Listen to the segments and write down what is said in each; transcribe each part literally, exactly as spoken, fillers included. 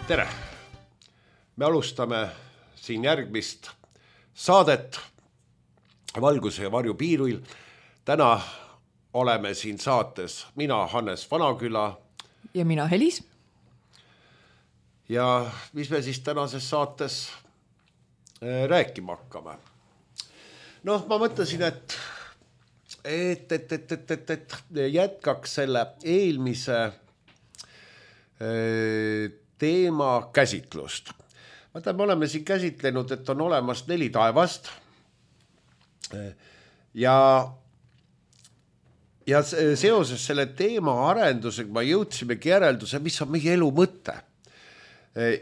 Tere! Me alustame siin järgmist saadet Valguse ja varju piiril. Täna oleme siin saates mina, Hannes Vanaküla. Ja mina, Helis. Ja mis me siis tänases saates rääkima hakkame? Noh, ma mõtlesin, et, et, et, et, et, et, et jätkaks selle eelmise teema käsitlust. Vaata, me oleme siin käsitlenud, et on olemas neli taevast ja, ja seoses selle teema arendusega ma jõudsimegi järelduse, mis on meie elu mõte.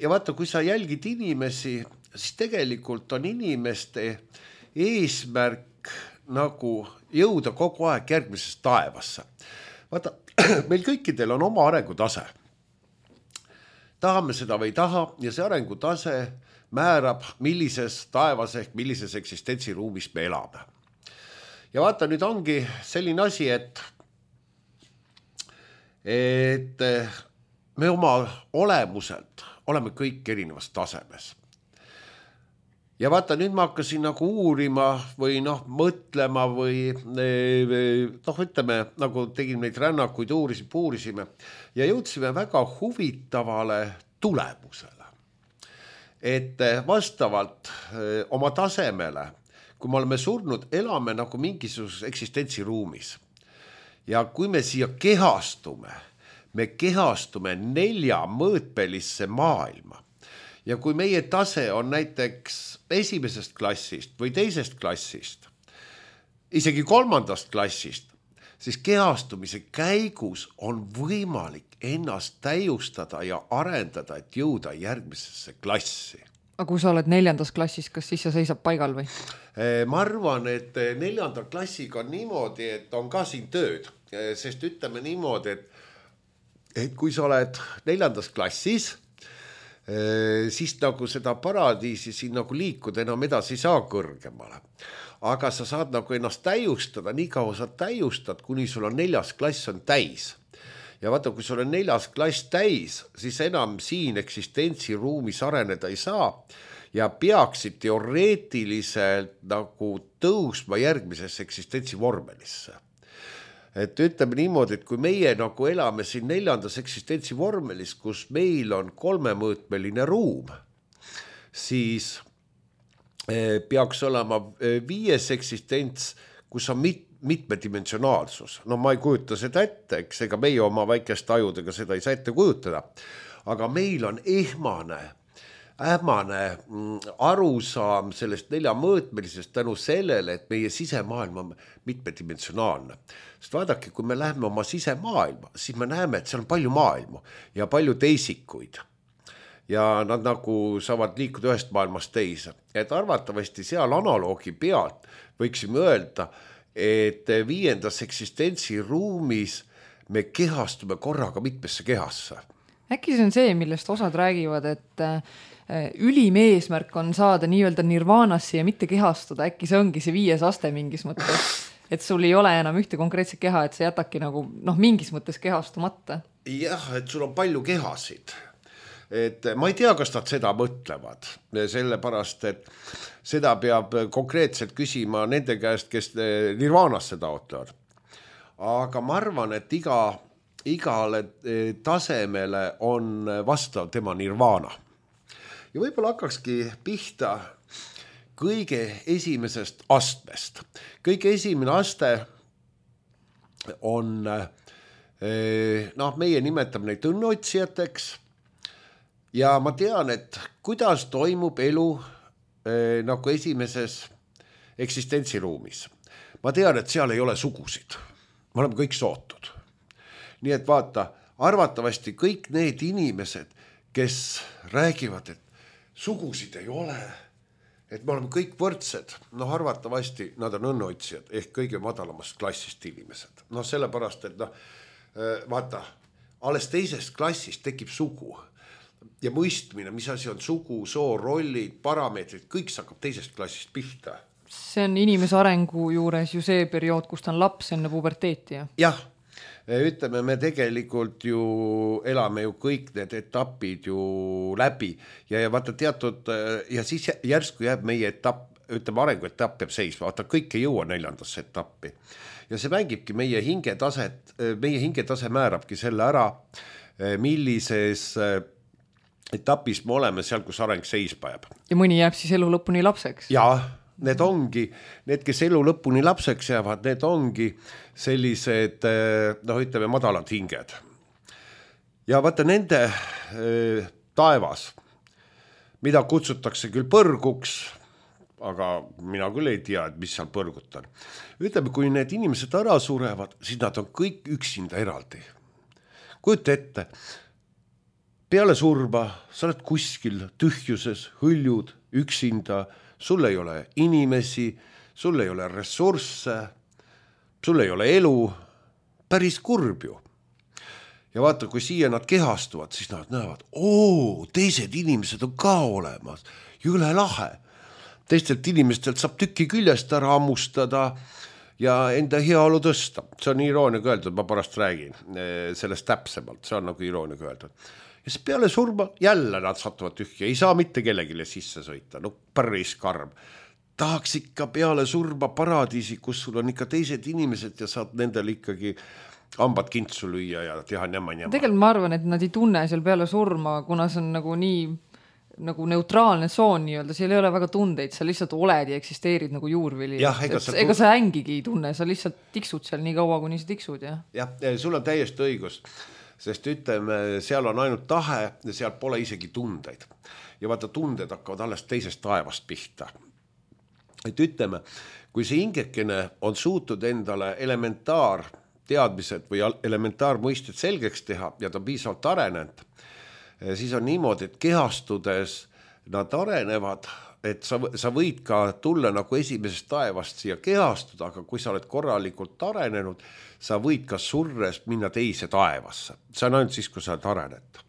Ja vaata, kui sa jälgid inimesi, siis tegelikult on inimeste eesmärk nagu jõuda kogu aeg järgmisest taevasse. Vaata, meil kõikidel on oma arengutase. Tahame seda või ei taha ja see arengutase määrab, millises taevas ehk millises eksistentsiruumis me elame. Ja vaata, nüüd ongi selline asi, et, et me oma olemuselt oleme kõik erinevas tasemes. Ja vaata, nüüd ma hakkasin nagu uurima või noh, mõtlema või noh, ütleme, nagu tegin neid rännakuid, uurisime, puurisime ja jõudsime väga huvitavale tulemusele. Et vastavalt oma tasemele, kui me oleme surnud, elame nagu mingisuguses eksistentsiruumis. Ja kui me siia kehastume, me kehastume nelja mõõtpelisse maailma. Ja kui meie tase on näiteks esimesest klassist või teisest klassist, isegi kolmandast klassist, siis kehastumise käigus on võimalik ennast täiustada ja arendada, et jõuda järgmisesse klassi. Aga kui sa oled neljandas klassis, kas siis sa seisab paigal või? Ma arvan, et neljanda klassiga on niimoodi, et on ka siin tööd, sest ütleme niimoodi, et, et kui sa oled neljandas klassis, siis nagu seda paradiisi siin nagu liikuda enam edasi saa kõrgemale. Aga sa saad nagu ennast täiustada, nii kaua sa täiustad, kuni sul on neljas klass on täis. Ja vaata, kui sul on neljas klass täis, siis enam siin eksistentsiruumis areneda ei saa ja peaksid teoreetiliselt nagu tõusma järgmisesse eksistentsivormelisse. Et ütleme niimoodi, et kui meie nagu elame siin neljandas eksistentsivormelis, kus meil on kolmemõõtmeline ruum, siis peaks olema viies eksistents, kus on mit, mitmedimensionaalsus. No ma ei kujuta seda ette, eks ega meie oma väikeste ajudega seda ei saa ette kujutada, aga meil on ehmane, ähmane arusaam sellest neljamõõtmelisest tänu sellele, et meie sisemaailm on mitmedimensionaalne. Sest vaadake, kui me läheme oma sisemaailma, siis me näeme, et seal on palju maailmu ja palju teisikuid. Ja nad nagu saavad liikuda ühest maailmast teise. Et arvatavasti seal analoogi pealt võiksime öelda, et viiendas eksistentsiruumis me kehastume korraga mitmesse kehasse. Äkki see on see, millest osad räägivad, et ülim eesmärk on saada nii-öelda nirvaanasse ja mitte kehastuda. Äkki see ongi see viies aste mingis mõttes, et sul ei ole enam ühte konkreetset keha, et see jätaki nagu noh, mingis mõttes kehastumata. Jah, et sul on palju kehasid. Et ma ei tea, kas nad seda mõtlevad, sellepärast, et seda peab konkreetselt küsima nende käest, kes nirvaanasse taotlevad. Aga ma arvan, et iga, igale tasemele on vastav tema nirvaana. Ja võib-olla hakkakski pihta kõige esimesest astmest. Kõige esimene aste on, noh, meie nimetame neid õnneotsijateks. Ja ma tean, et kuidas toimub elu eh, nagu esimeses eksistentsiruumis. Ma tean, et seal ei ole sugusid. Me oleme kõik sootud. Nii et vaata, arvatavasti kõik need inimesed, kes räägivad, et sugusid ei ole, et me oleme kõik võrdsed, noh arvatavasti nad on õnneotsijad ehk kõige madalamast klassist inimesed. Noh sellepärast, et noh, vaata, alles teisest klassist tekib sugu. Ja mõistmine, mis asi on sugu, soo, rollid, parameetrid, kõik hakkab teisest klassist pihta. See on inimese arengu juures ju see periood, kus ta on laps enne puberteeti. Jah, ütleme, me tegelikult ju elame ju kõik need etapid ju läbi ja, ja vaata teatud ja siis järsku jääb meie etapp, ütleme arenguetapp jääb seisma, vaata kõik ei jõua neljandasse etappi ja see mängibki meie hingetaset, meie hingetase määrabki selle ära, millises etapis me oleme seal, kus areng seisma jääb. Ja mõni jääb siis elu lõpuni lapseks. Jaa, need ongi, need, kes elu lõpuni lapseks jäävad, need ongi sellised, noh ütleme, madalad hinged. Ja vaata nende äh, taevas, mida kutsutakse küll põrguks, aga mina küll ei tea, et mis seal põrgut on. Ütleme, kui need inimesed ära surevad, siis nad on kõik üksinda eraldi. Kujuta ette, peale surma sa oled kuskil tühjuses, hõljud, üksinda, sul ei ole inimesi, sul ei ole ressursse, sul ei ole elu, päris kurb ju. Ja vaata, kui siia nad kehastuvad, siis nad näevad, oo, teised inimesed on ka olemas, jõle lahe. Teistelt inimestelt saab tüki küljest ära ammustada ja enda heaolu tõsta. See on irooniga öeldud, ma pärast räägin sellest täpsemalt, see on nagu irooniga öeldud. Ja siis peale surma jälle nad satuvad tühja, ei saa mitte kellegile sisse sõita, no päris karm. Tahaks ikka peale surma paradiisi, kus sul on ikka teised inimesed ja saad nendel ikkagi hambad kintsu lüüa ja teha njama-njama. Tegelikult ma arvan, et nad ei tunne seal peale surma, kuna see on nagu nii nagu neutraalne tsoon nii-öelda, seal ei ole väga tundeid, sa lihtsalt oled ja eksisteerid nagu juurvili. Jah, ega, sa, ega sa ängigi ei tunne, sa lihtsalt tiksud seal nii kaua, kuni sa tiksud. Ja, jah, sul on täiesti õigus, sest ütleme, seal on ainult tahe ja seal pole isegi tundeid. Ja vaata, tunded hakkavad alles teisest taevast pihta. Et ütleme, kui see hingekene on suutud endale elementaar teadmised või elementaar mõisted selgeks teha ja ta on piisavalt arenenud, siis on niimoodi, et kehastudes nad arenevad, et sa, sa võid ka tulla nagu esimesest taevast siia kehastuda, aga kui sa oled korralikult arenenud, sa võid ka surres minna teise taevasse. See on ainult siis, kui sa oled arenenud.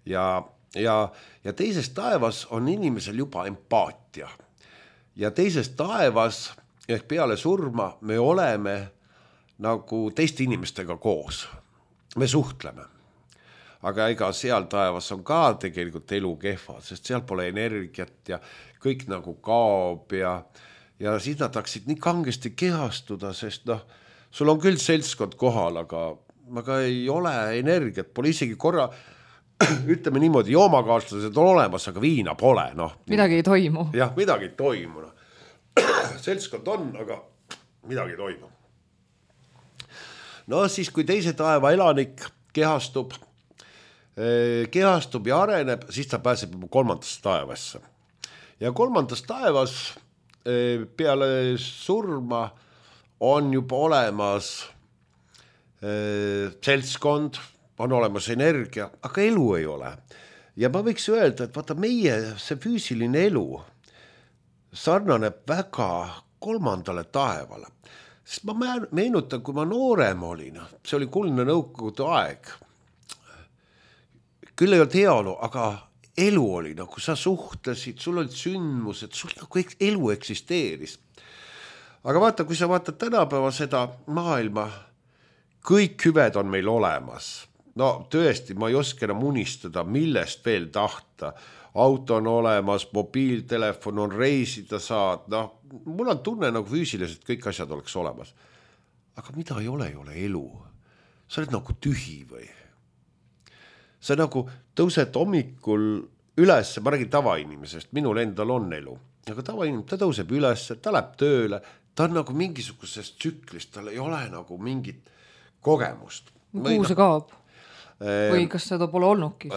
Ja, ja, ja teises taevas on inimesel juba empaatia. Ja teises taevas, ehk peale surma, me oleme nagu teiste inimestega koos. Me suhtleme. Aga ega seal taevas on ka tegelikult elu kehva, sest seal pole energiat ja kõik nagu kaob ja, ja siis nad hakkasid nii kangesti kehastuda, sest noh, sul on küll seltskond kohal, aga, aga ei ole energiat, pole isegi korra, ütleme niimoodi, joomakaaslased on olemas, aga viina pole. No, midagi ei toimu. Jah, midagi ei toimu. No. Seltskond on, aga midagi ei toimu. No siis, kui teise taeva elanik kehastub, kehastub ja areneb, siis ta pääseb kolmandasse taevasse. Ja kolmandas taevas peale surma on juba olemas seltskond, on olemas energia, aga elu ei ole. Ja ma võiks öelda, et vaata meie see füüsiline elu sarnaneb väga kolmandale taevale. Sest ma meenutan, kui ma noorem olin, see oli kuldne nõukogude aeg, küll ei olnud heaolu, aga elu oli, nagu sa suhtlesid, sul olid sündmused, sul nagu elu eksisteeris. Aga vaata, kui sa vaatad tänapäeva seda maailma, kõik hüved on meil olemas. No tõesti, ma ei oska enam unistada, millest veel tahta. Auto on olemas, mobiiltelefon on, reisida saad. No, mul on tunne nagu füüsiliselt kõik asjad oleks olemas. Aga mida ei ole, ei ole elu. Sa oled nagu tühi või? Sa nagu tõused hommikul üles, ma räägin tavainimesest, minul endal on elu, aga tavainimene, ta tõuseb üles, ta läheb tööle, ta on nagu mingisugusest tsüklist, tal ei ole nagu mingit kogemust. Kuhu see kaob? Või kas seda pole olnudki?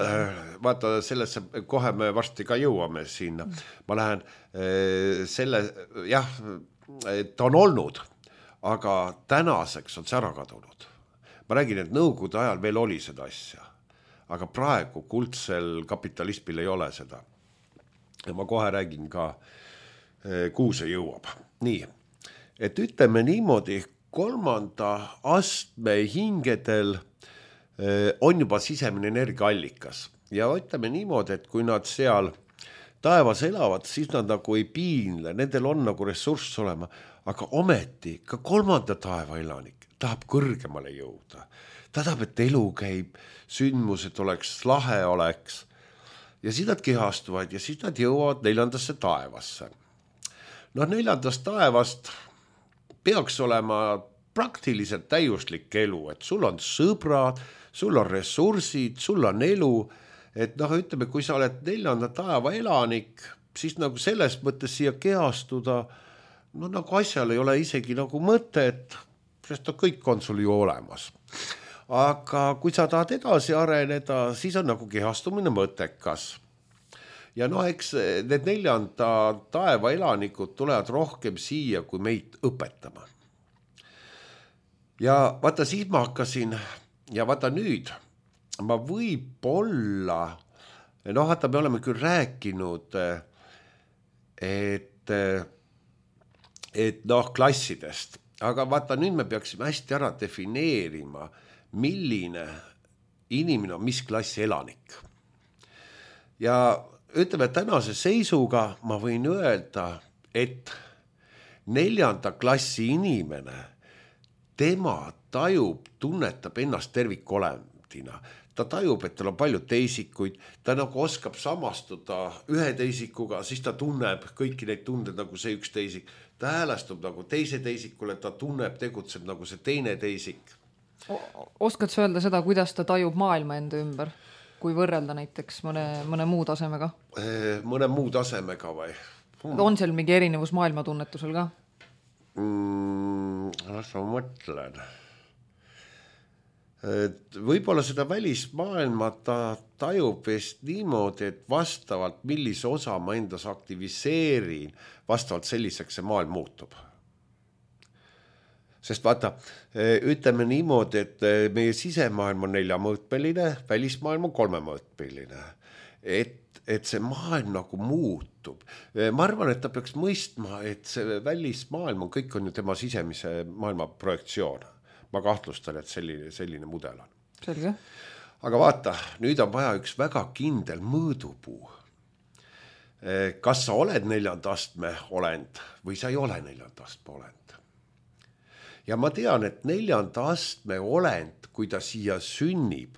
Vaata, sellesse kohe me varsti ka jõuame sinna. Ma lähen selle, jah, ta on olnud, aga tänaseks on see ära kadunud. Ma räägin, et nõukogude ajal veel oli seda asja. Aga praegu kuldsel kapitalismil ei ole seda. Ja ma kohe räägin ka, kuhu see jõuab. Nii, et ütleme niimoodi, kolmanda astme hingedel on juba sisemine energiaallikas. Ja ütleme niimoodi, et kui nad seal taevas elavad, siis nad nagu ei piinle, nendel on nagu ressurss olema, aga ometi ka kolmanda taeva elanik tahab kõrgemale jõuda. Ta tahab, et elu käib, sündmused oleks, lahe oleks ja siis nad kehastuvad ja siis nad jõuavad neljandasse taevasse. No neljandast taevast peaks olema praktiliselt täiuslik elu, et sul on sõbrad, sul on ressursid, sul on elu, et noh, ütleme, kui sa oled neljanda taeva elanik, siis nagu selles mõttes siia kehastuda, no nagu asjal ei ole isegi nagu mõtet, sest kõik on sul ju olemas. Aga kui sa tahad edasi areneda, siis on nagu kehastumine mõttekas. Ja noh, eks need neljanda taeva elanikud tulevad rohkem siia, kui meid õpetama. Ja vaata, siis ma hakkasin, ja vaata nüüd, ma võib-olla, noh, vaata, me oleme küll rääkinud, et, et noh, klassidest, aga vaata, nüüd me peaksime hästi ära defineerima, milline inimene on mis klassi elanik. Ja ütleme, tänase seisuga ma võin öelda, et neljanda klassi inimene, tema tajub, tunnetab ennast tervikolendina. Ta tajub, et tal on palju teisikuid, ta nagu oskab samastuda ühe teisikuga, siis ta tunneb kõiki neid tunded nagu see üks teisik. Ta häälestub nagu teise teisikule, ta tunneb, tegutseb nagu see teine teisik. Oskad sa öelda seda, kuidas ta tajub maailma enda ümber? Kui võrrelda näiteks mõne, mõne muu tasemega? Mõne muu tasemega või? Hmm. On seal mingi erinevus maailmatunnetusel ka? Mm, las ma mõtlen. Et võib-olla seda välismaailma ta tajub vist niimoodi, et vastavalt millise osa ma endas aktiviseerin, vastavalt selliseks see maailm muutub. Sest vaata, ütleme niimoodi, et meie sisemaailm on neljamõõtmeline, välismaailm on kolmemõõtmeline. Et, et see maailm nagu muutub. Ma arvan, et ta peaks mõistma, et see välismaailm on, kõik on ju tema sisemise maailma projektsioon. Ma kahtlustan, et selline, selline mudel on. Selge. Aga vaata, nüüd on vaja üks väga kindel mõõdupuu. Kas sa oled neljanda astme olend või sa ei ole neljanda astme olend? Ja ma tean, et neljanda astme olend, kui ta siia sünnib,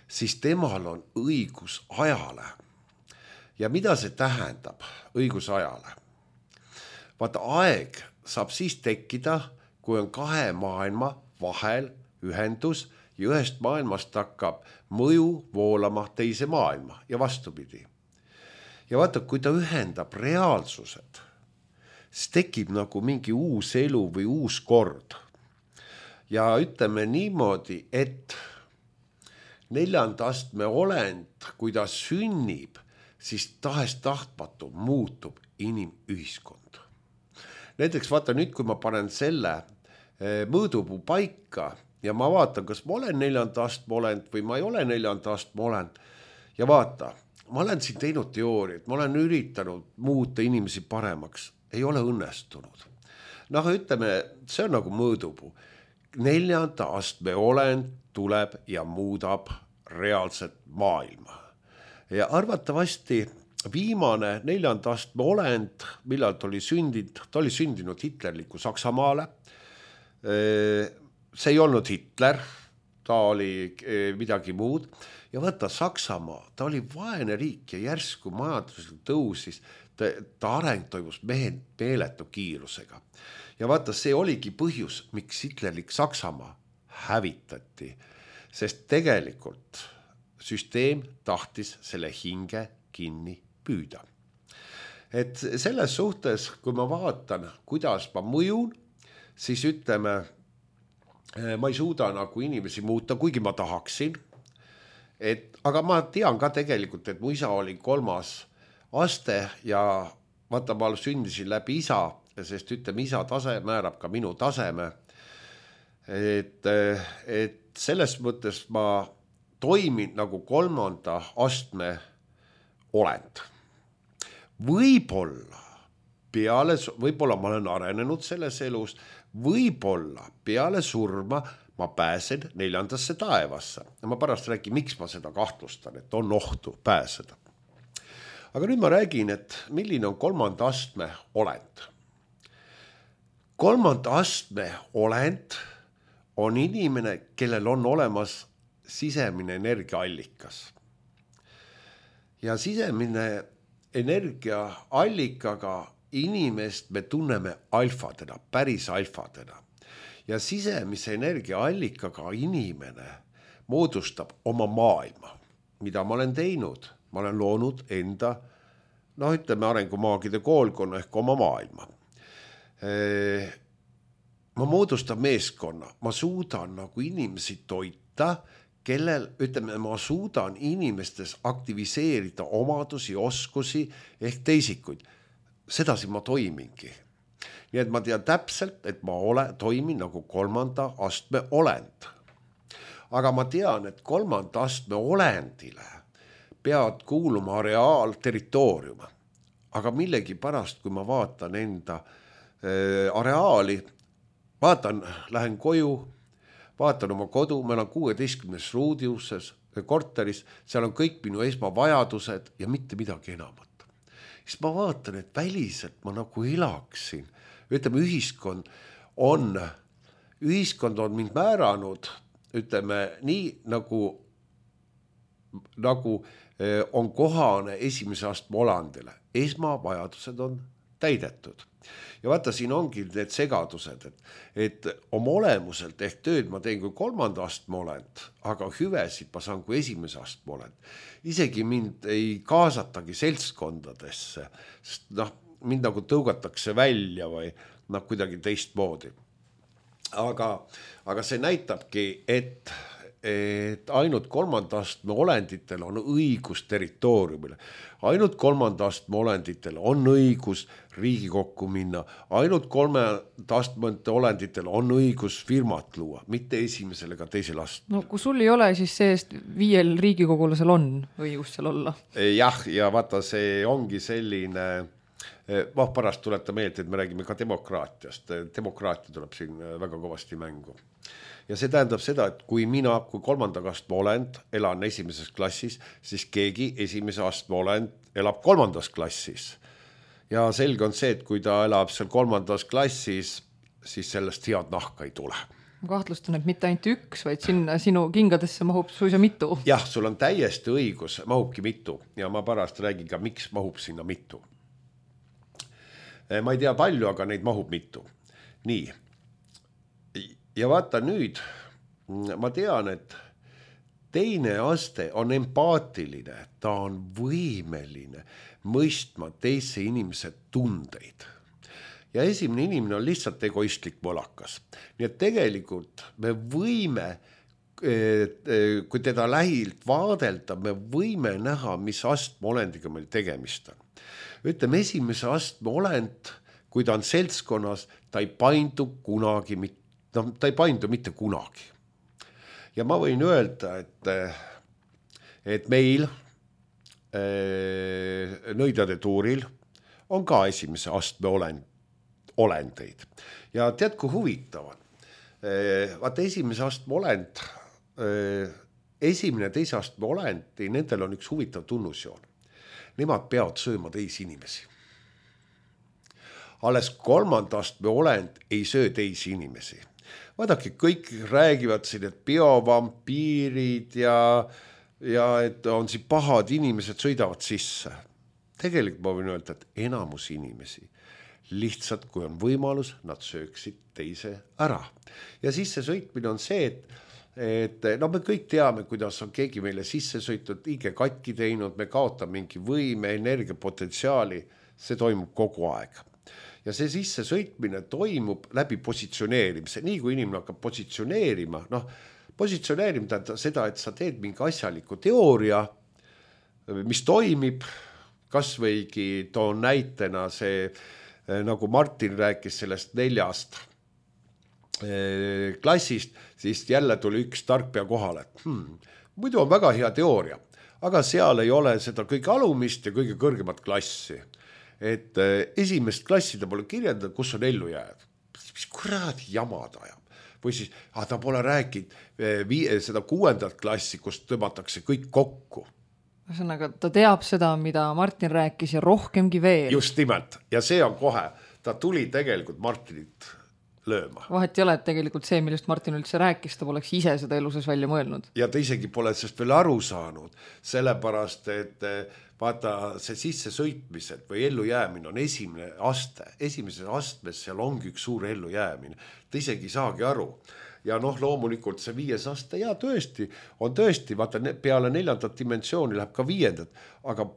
siis temal on õigus ajale. Ja mida see tähendab, õigus ajale? Vaata, aeg saab siis tekkida, kui on kahe maailma vahel ühendus ja ühest maailmast hakkab mõju voolama teise maailma ja vastupidi. Ja vaata, kui ta ühendab reaalsused, siis tekib nagu mingi uus elu või uus kord. Ja ütleme niimoodi, et neljanda astme olend, kui ta sünnib, siis tahes tahtmatu muutub inimühiskond. Näiteks vaata nüüd, kui ma panen selle mõõdupuu paika ja ma vaatan, kas ma olen neljanda astme olend või ma ei ole neljanda astme olend. Ja vaata, ma olen siin teinud teooriat, ma olen üritanud muuta inimesi paremaks. Ei ole õnnestunud. Noh, ütleme, see on nagu mõõdupuu. Neljanda astme olend tuleb ja muudab reaalset maailma. Ja arvatavasti viimane neljanda astme olend, millal ta oli sündinud, ta oli sündinud hitlerliku Saksamaale. See ei olnud Hitler, ta oli midagi muud. Ja vaata, Saksamaa, ta oli vaene riik ja järsku majanduslikult tõusis. Ta, ta areng toimus mehen meeletu kiirusega. Ja vaata, see oligi põhjus, miks hitlerlik Saksamaa hävitati, sest tegelikult süsteem tahtis selle hinge kinni püüda. Et selles suhtes, kui ma vaatan, kuidas ma mõjun, siis ütleme, ma ei suuda nagu inimesi muuta, kuigi ma tahaksin. Et, aga ma tean ka tegelikult, et mu isa oli kolmas aste ja vaata, ma sündisin läbi isa, sest ütleme, isa tase määrab ka minu taseme. Et, et selles mõttes ma toimin nagu kolmanda astme olend. Võib-olla peale, võib-olla ma olen arenenud selles elus, võib-olla peale surma ma pääsen neljandasse taevasse. Ja ma pärast räägin, miks ma seda kahtlustan, et on ohtu pääseda. aga nüüd ma räägin, et milline on kolmanda astme olend. Kolmanda astme olend on inimene, kellel on olemas sisemine energiaallikas. Ja sisemine energiaallikaga inimest me tunneme alfadena, päris alfadena. Ja sisemise energiaallikaga inimene moodustab oma maailma, mida ma olen teinud. Ma olen loonud enda, noh ütleme arengumaagide koolkonna ehk oma maailma. Ma moodustan meeskonna, ma suudan nagu inimesi toita, kellel, ütleme, ma suudan inimestes aktiviseerida omadusi, oskusi ehk teisikuid. Sedasi ma toimingi. Nii et ma tean täpselt, et ma ole, toimin nagu kolmanda astme olend. Aga ma tean, et kolmanda astme olendile peavad kuuluma areaal, territoorium. Aga millegi pärast, kui ma vaatan enda äh, areaali, vaatan, lähen koju, vaatan oma kodu, ma olen kuueteistkümnes ruudiuses korteris, seal on kõik minu esmavajadused ja mitte midagi enamat. Siis ma vaatan, et väliselt ma nagu elaksin. Ütleme, ühiskond on, ühiskond on mind määranud, ütleme, nii nagu, nagu on kohane esimese astme olandile. Esmavajadused on täidetud. Ja vaata, siin ongi need segadused, et, et oma olemuselt ehk tööd ma teen kui kolmanda astme olend, aga hüvesid ma saan kui esimese astme olend. Isegi mind ei kaasatagi seltskondadesse, sest noh, mind nagu tõugatakse välja või noh, kuidagi teistmoodi. Aga, aga see näitabki, et et ainult kolmanda astme olenditel on õigus territooriumile. Ainult kolmanda astme olenditel on õigus Riigikokku minna. Ainult kolmanda astme olenditel on õigus firmat luua, mitte esimesel ega teisel astmel. No kui sul ei ole, siis seest viiel riigikogulasel on õigus seal olla. Jah, ja vaata, see ongi selline, noh, pärast tuleta meelde, et me räägime ka demokraatiast. Demokraatia tuleb siin väga kõvasti mängu. Ja see tähendab seda, et kui mina, kui kolmanda astme olend elan esimeses klassis, siis keegi esimese astme olend elab kolmandas klassis. Ja selge on see, et kui ta elab seal kolmandas klassis, siis sellest head nahka ei tule. Ma kahtlustan, et mitte ainult üks, vaid sinna sinu kingadesse mahub suisa mitu. Jah, sul on täiesti õigus, mahubki mitu. Ja ma pärast räägin ka, miks mahub sinna mitu. Ma ei tea palju, aga neid mahub mitu. Nii. Ja vaata nüüd, ma tean, et teine aste on empaatiline, ta on võimeline mõistma teise inimese tundeid. Ja esimene inimene on lihtsalt egoistlik mõlakas. Nii et tegelikult me võime, kui teda lähilt vaadelda, me võime näha, mis astme olendiga meil tegemist on. Ütleme, esimese astme olend, kui ta on seltskonnas, ta ei paindu kunagi mitte. No, ta ei paindu mitte kunagi. Ja ma võin öelda, et, et meil äh, nõidade tuuril on ka esimese astme olend, olendeid. Ja tead, kui huvitav on. Äh, vaata, esimese astme olend, äh, esimene teise astme olendi, nendel on üks huvitav tunnusjoon. Nemad peavad sööma teisi inimesi. Alles kolmanda astme olend ei söö teisi inimesi. Vaadake, kõik räägivad siin, et biovampiirid ja, ja et on siin pahad inimesed sõidavad sisse. Tegelikult ma võin öelda, et enamus inimesi lihtsalt, kui on võimalus, nad sööksid teise ära. Ja sisse sõitmine on see, et, et no me kõik teame, kuidas on keegi meile sisse sõitud, liige katki teinud, me kaotame mingi võime, energiapotentsiaali, see toimub kogu aeg. Ja see sisse sõitmine toimub läbi positsioneerimise. Nii kui inimene hakkab positsioneerima, noh, positsioneerima tähendab seda, et sa teed mingi asjaliku teooria, mis toimib, kas võigi toon näitena see, nagu Martin rääkis sellest neljast klassist, siis jälle tuli üks tarkpea kohale. Hmm, muidu on väga hea teooria, aga seal ei ole seda kõige alumist ja kõige kõrgemat klassi. Et esimest klassi ta pole kirjeldanud, kus on ellu jääd. Mis kuradi jamad ajab. Või siis, ah, ta pole rääkinud vii, seda kuuendat klassi, kus tõmmatakse kõik kokku. ühesõnaga, ta teab seda, mida Martin rääkis ja rohkemgi veel. Just nimelt. Ja see on kohe. Ta tuli tegelikult Martinit lööma. Vahet ei ole, et tegelikult see, millest Martin üldse rääkis, ta poleks ise seda eluses välja mõelnud. Ja ta isegi pole sellest veel aru saanud, sellepärast, et vaata see sisse sõitmised või ellu jäämine on esimene aste. Esimeses astmes seal ongi üks suur ellu jäämine. Ta isegi saagi aru. Ja noh, loomulikult see viies aste, ja tõesti, on tõesti, vaata peale neljandat dimensiooni läheb ka viiendat, aga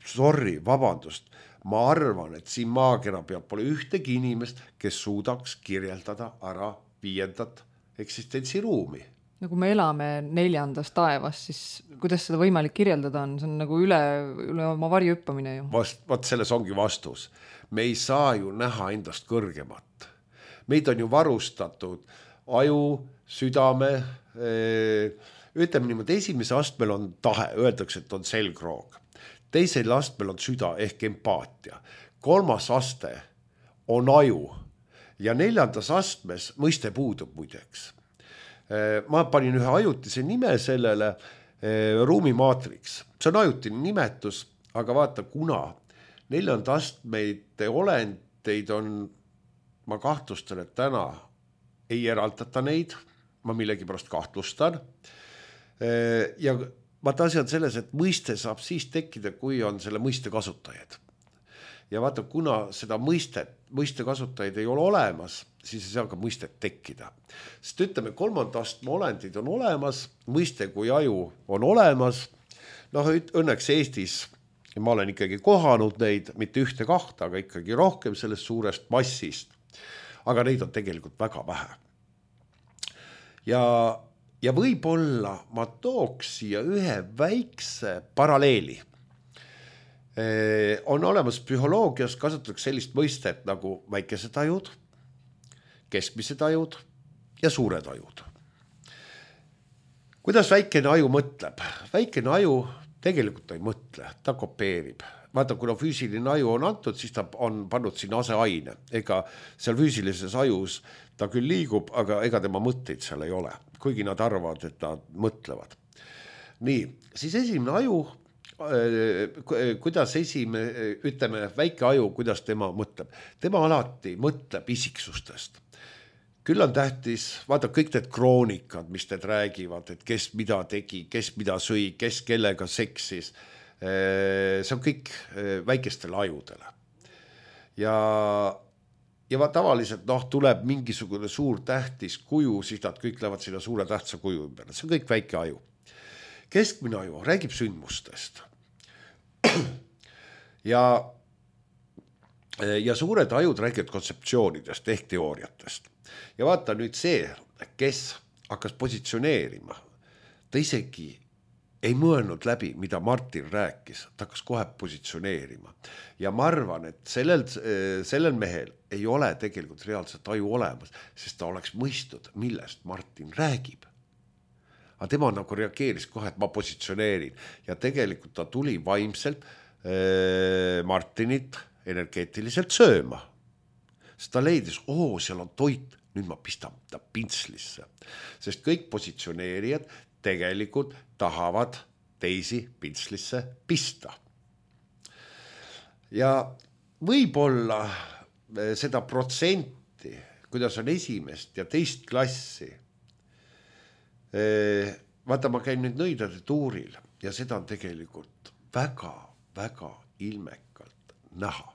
sorry, vabandust, ma arvan, et siin maakera peal pole ühtegi inimest, kes suudaks kirjeldada ära viiendat eksistentsiruumi. No kui me elame neljandas taevas, siis kuidas seda võimalik kirjeldada on? See on nagu üle, üle oma varju hüppamine ju. Vast, vaat selles ongi vastus. Me ei saa ju näha endast kõrgemat. Meid on ju varustatud aju, südame, ütleme niimoodi, esimese astmel on tahe, öeldakse, et on selgroog. Teisel astmel on süda ehk empaatia. Kolmas aste on aju ja neljandas astmes mõiste puudub muideks. Ma panin ühe ajutise nime sellele, ruumimaatriks. See on ajutine nimetus, aga vaata, kuna neljanda astmeid olendeid on, ma kahtlustan, et täna ei eraldata neid, ma millegi pärast kahtlustan. Ja vaata asi on selles, et mõiste saab siis tekkida, kui on selle mõiste kasutajad. Ja vaata, kuna seda mõistet, mõiste kasutajaid ei ole olemas, siis ei saa ka mõistet tekkida. Sest ütleme, kolmanda astme olendid on olemas, mõiste kui aju on olemas. Noh, õnneks Eestis, ma olen ikkagi kohanud neid, mitte ühte kahta, aga ikkagi rohkem sellest suurest massist. Aga neid on tegelikult väga vähe. Ja Ja võib-olla ma tooks siia ühe väikse paralleeli. On olemas psühholoogias, kasutatakse sellist mõistet nagu väikesed ajud, keskmised ajud ja suured ajud. Kuidas väikene aju mõtleb? Väikene aju tegelikult ei mõtle, ta kopeerib. Vaata, kuna füüsiline aju on antud, siis ta on pannud sinna aseaine. Ega seal füüsilises ajus ta küll liigub, aga ega tema mõtteid seal ei ole. Kuigi nad arvavad, et nad mõtlevad. Nii, siis esimene aju, kuidas esimene, ütleme, väike aju, kuidas tema mõtleb. Tema alati mõtleb isiksustest. Küll on tähtis, vaata kõik need kroonikad, mis need räägivad, et kes mida tegi, kes mida sõi, kes kellega seksis. See on kõik väikestele ajudele. Ja Ja va, tavaliselt noh, tuleb mingisugune suur tähtis kuju, siis nad kõik lähevad sinna suure tähtsa kuju ümber. See on kõik väike aju. Keskmine aju räägib sündmustest. Ja, ja suured ajud räägivad kontseptsioonidest ehk teooriatest. Ja vaata nüüd see, kes hakkas positsioneerima, ta isegi ei mõelnud läbi, mida Martin rääkis, ta hakkas kohe positsioneerima. Ja ma arvan, et sellel, sellel mehel ei ole tegelikult reaalselt aju olemas, sest ta oleks mõistnud, millest Martin räägib. Aga tema nagu reageeris kohe, et ma positsioneerin. Ja tegelikult ta tuli vaimselt äh, Martinit energeetiliselt sööma. Sest ta leidis, oo, seal on toit, nüüd ma pistan ta pintslisse. Sest kõik positsioneerijad tegelikult tahavad teisi pintslisse pista. Ja võib-olla seda protsenti, kuidas on esimest ja teist klassi, vaata, ma käin nüüd nõidade tuuril ja seda on tegelikult väga, väga ilmekalt näha.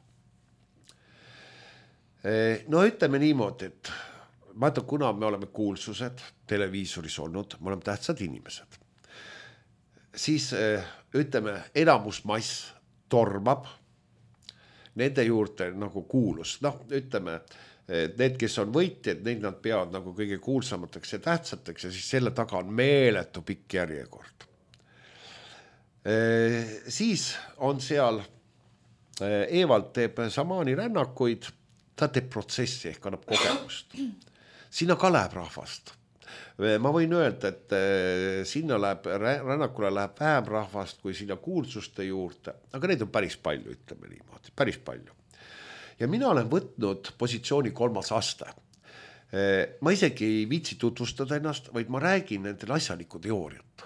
No ütleme niimoodi, et vaata, kuna me oleme kuulsused televiisoris olnud, me oleme tähtsad inimesed, siis ütleme, enamusmass tormab nende juurde nagu kuulus. Noh, ütleme, need, kes on võitjad, neid nad peavad nagu kõige kuulsamateks ja tähtsateks ja siis selle taga on meeletu pikk järjekord. Siis on seal, Evald teeb samaani rännakuid, ta teeb protsessi ehk annab kogemust. Sinna ka läheb rahvast. Ma võin öelda, et sinna läheb, rännakule läheb vähem rahvast kui sinna kuulsuste juurde, aga neid on päris palju, ütleme niimoodi, päris palju. Ja mina olen võtnud positsiooni kolmas aste. Ma isegi ei viitsi tutvustada ennast, vaid ma räägin nendel asjaliku teooriat.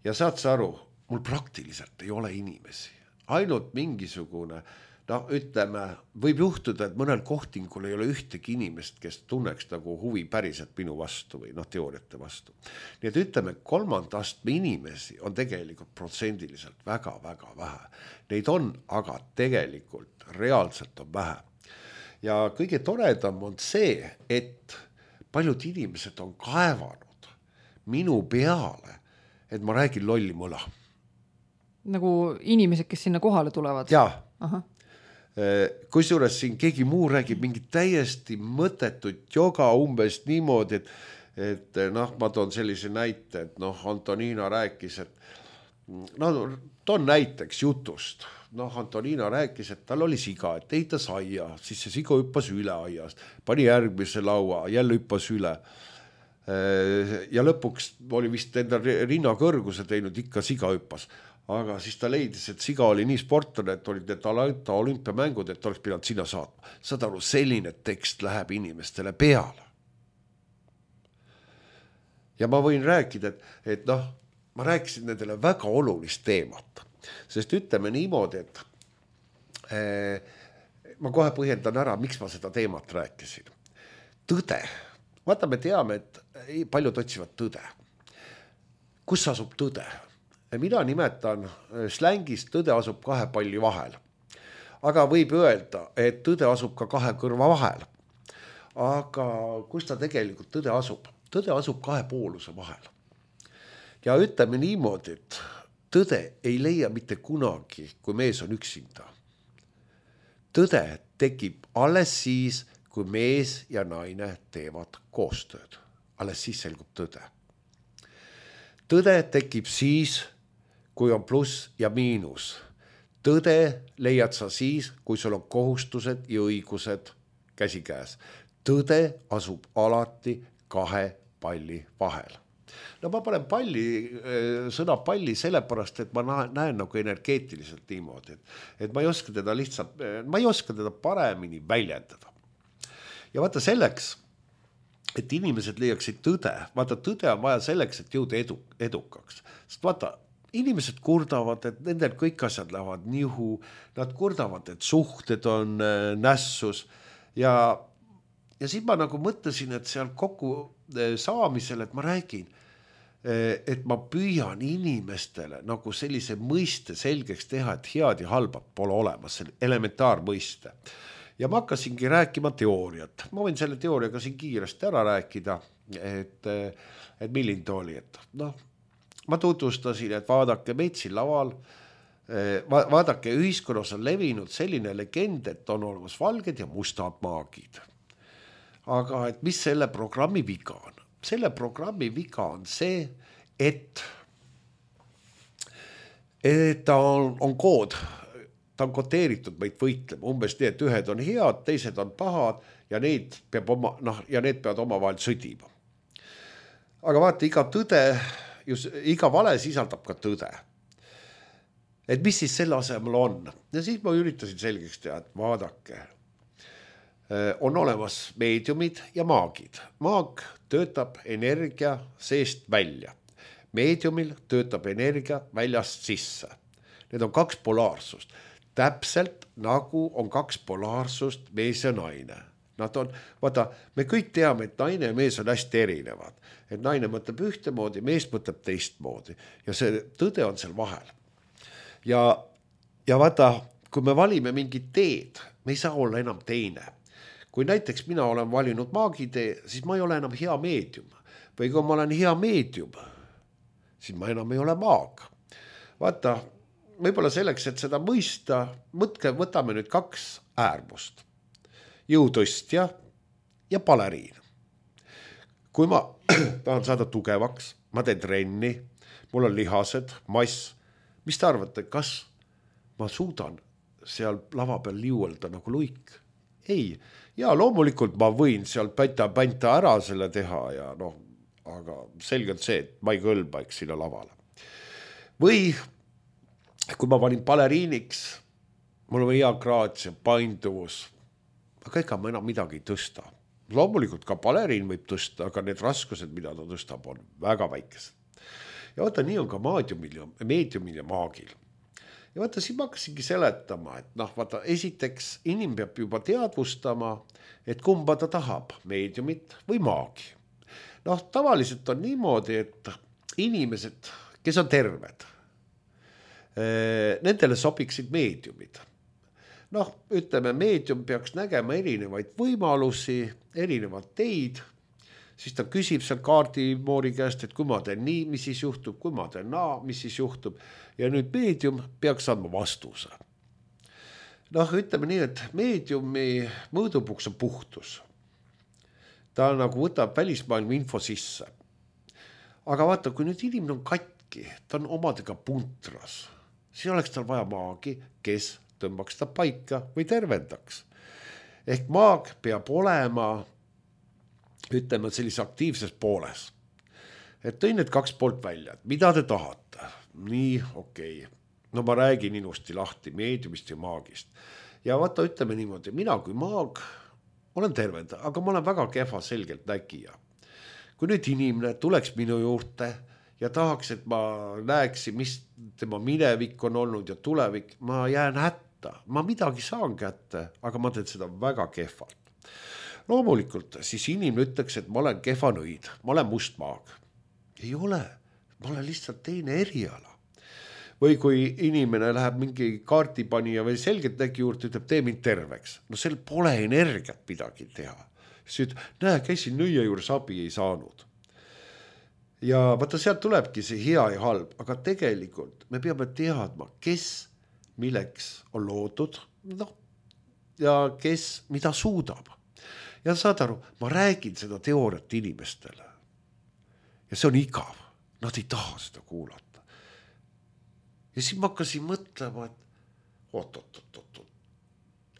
Ja saad sa aru, mul praktiliselt ei ole inimesi, ainult mingisugune, no ütleme, võib juhtuda, et mõnel kohtingul ei ole ühtegi inimest, kes tunneks nagu huvi päriselt minu vastu või noh, teooriate vastu. Nii et ütleme, kolmanda astme inimesi on tegelikult protsendiliselt väga-väga vähe. Neid on, aga tegelikult reaalselt on vähe. Ja kõige toredam on see, et paljud inimesed on kaevanud minu peale, et ma räägin lolli mõla. Nagu inimesed, kes sinna kohale tulevad? Jaa. Aha. Kusjuures siin keegi muu räägib mingit täiesti mõttetut joga umbes niimoodi, et, et noh, ma toon sellise näite, et noh, Antoniina rääkis, et no toon näiteks jutust. Noh, Antoniina rääkis, et tal oli siga, et eitas aia, siis see siga hüppas üle aiast, pani järgmise laua, jälle hüppas üle. Ja lõpuks oli vist enda rinna kõrguse teinud, ikka siga hüppas. Aga siis ta leidis, et siga oli nii sportlane, et olid need Atlanta olümpiamängud, et oleks pidanud sinna saatma. Saad aru, selline tekst läheb inimestele peale. Ja ma võin rääkida, et, et noh, ma rääkisin nendele väga olulist teemat, sest ütleme niimoodi, et eh, ma kohe põhjendan ära, miks ma seda teemat rääkisin. Tõde. Vaata, me teame, et paljud otsivad tõde. Kus asub tõde? Mina nimetan slängist tõde asub kahe palli vahel. Aga võib öelda, et tõde asub ka kahe kõrva vahel. Aga kus ta tegelikult tõde asub? Tõde asub kahe pooluse vahel. Ja ütleme niimoodi, et tõde ei leia mitte kunagi, kui mees on üksinda. Tõde tekib alles siis, kui mees ja naine teevad koostööd. Alles siis selgub tõde. Tõde tekib siis, kui on pluss ja miinus. Tõde leiad sa siis, kui sul on kohustused ja õigused käsikäes. Tõde asub alati kahe palli vahel. No ma panen palli, sõna palli sellepärast, et ma näen nagu energeetiliselt niimoodi, et, et ma ei oska teda lihtsalt, ma ei oska teda paremini väljendada. Ja vaata selleks, et inimesed leiaksid tõde, vaata tõde on vaja selleks, et jõuda edu, edukaks. Sest vaata, inimesed kurdavad, et nendel kõik asjad lähevad nihu, nad kurdavad, et suhted on nässus ja, ja siis ma nagu mõtlesin, et seal kokku saamisel, et ma räägin, et ma püüan inimestele nagu sellise mõiste selgeks teha, et head ja halbad pole olemas, selle elementaarmõiste. Ja ma hakkasingi rääkima teooriat. Ma võin selle teooriaga siin kiiresti ära rääkida, et, et milline ta oli, et noh, ma tutvustasin, et vaadake meid siin laval, vaadake ühiskonnas on levinud selline legend, et on olemas valged ja mustad maagid. Aga et mis selle programmi viga on? Selle programmi viga on see, et, et ta on, on kood, ta on koteeritud meid võitlema, umbes nii, et ühed on head, teised on pahad ja need peab oma, noh, ja need peavad oma vahel sõdima. Aga vaata, iga tõde, just iga vale sisaldab ka tõde. Et mis siis selle asemel on? Ja siis ma üritasin selgeks teha, et vaadake, on olemas meediumid ja maagid. Maag töötab energia seest välja. Meediumil töötab energia väljast sisse. Need on kaks polaarsust. Täpselt nagu on kaks polaarsust mees ja naine. Nad on, vaata, me kõik teame, et naine ja mees on hästi erinevad. Et naine mõtleb ühtemoodi, mees mõtleb teistmoodi. Ja see tõde on seal vahel. Ja, ja vaata, kui me valime mingit teed, me ei saa olla enam teine. Kui näiteks mina olen valinud maagitee, siis ma ei ole enam hea meedium. Või kui ma olen hea meedium, siis ma enam ei ole maag. Vaata, võib-olla selleks, et seda mõista, mõtke, võtame nüüd kaks äärmust. Jõutõstja ja baleriin. Kui ma tahan saada tugevaks, ma teen trenni, mul on lihased, mass, mis te arvate, kas ma suudan seal lava peal liuelda nagu luik? Ei, ja loomulikult ma võin seal päta-pänta ära selle teha ja noh, aga selgelt see, et ma ei kõlba eks sinna lavale. Või kui ma valin baleriiniks, mul on hea graatia, painduvus, aga ega ma enam midagi ei tõsta. Loomulikult ka baleriin võib tõsta, aga need raskused, mida ta tõstab, on väga väikesed. ja vaata, nii on ka maadiumil ja meediumil ja maagil. Ja vaata, siin ma hakkasingi seletama, et noh, vaata, esiteks inimene peab juba teadvustama, et kumba ta tahab, meediumit või maagi. Noh, tavaliselt on niimoodi, et inimesed, kes on terved, nendele sobiksid meediumid. Noh, ütleme, meedium peaks nägema erinevaid võimalusi, erinevad teid, siis ta küsib seal kaardimoori käest, et kui ma teen nii, mis siis juhtub, kui ma teen naa, mis siis juhtub, ja nüüd meedium peaks andma vastuse. Noh, ütleme nii, et meediumi mõõdupuks on puhtus. Ta nagu võtab välismaailma info sisse. Aga vaata, kui nüüd inimene on katki, ta on omadega puntras, siis oleks tal vaja maagi, kes tõmbaks ta paika või tervendaks. Ehk maag peab olema, ütleme, sellise aktiivses pooles. Et tõin need kaks poolt välja, et mida te tahate? Nii, okei. Okay. No ma räägin inusti lahti meediumist ja maagist. Ja vaata, ütleme niimoodi, mina kui maag olen tervenda, aga ma olen väga kehva selgelt nägija. Kui nüüd inimene tuleks minu juurde ja tahaks, et ma näeksin, mis tema minevik on olnud ja tulevik, ma jään hätta. Ma midagi saan kätte, aga ma teen seda väga kehvalt. Loomulikult siis inimene ütleks, et ma olen kehva nõid, ma olen must maag. Ei ole, ma olen lihtsalt teine eriala. Või kui inimene läheb mingi kaardipanija või selgelt nägi juurde, ütleb, tee mind terveks. No seal pole energiat midagi teha. Siis ütleb, näe, käisin nõia juures, abi ei saanud. Ja vaata, sealt tulebki see hea ja halb, aga tegelikult me peame teadma, kes milleks on loodud, no, ja kes mida suudab. Ja saad aru, ma räägin seda teooriat inimestele. Ja see on igav. Nad ei taha seda kuulata. Ja siis ma hakkasin mõtlema, et oot, oot, oot, oot, oot.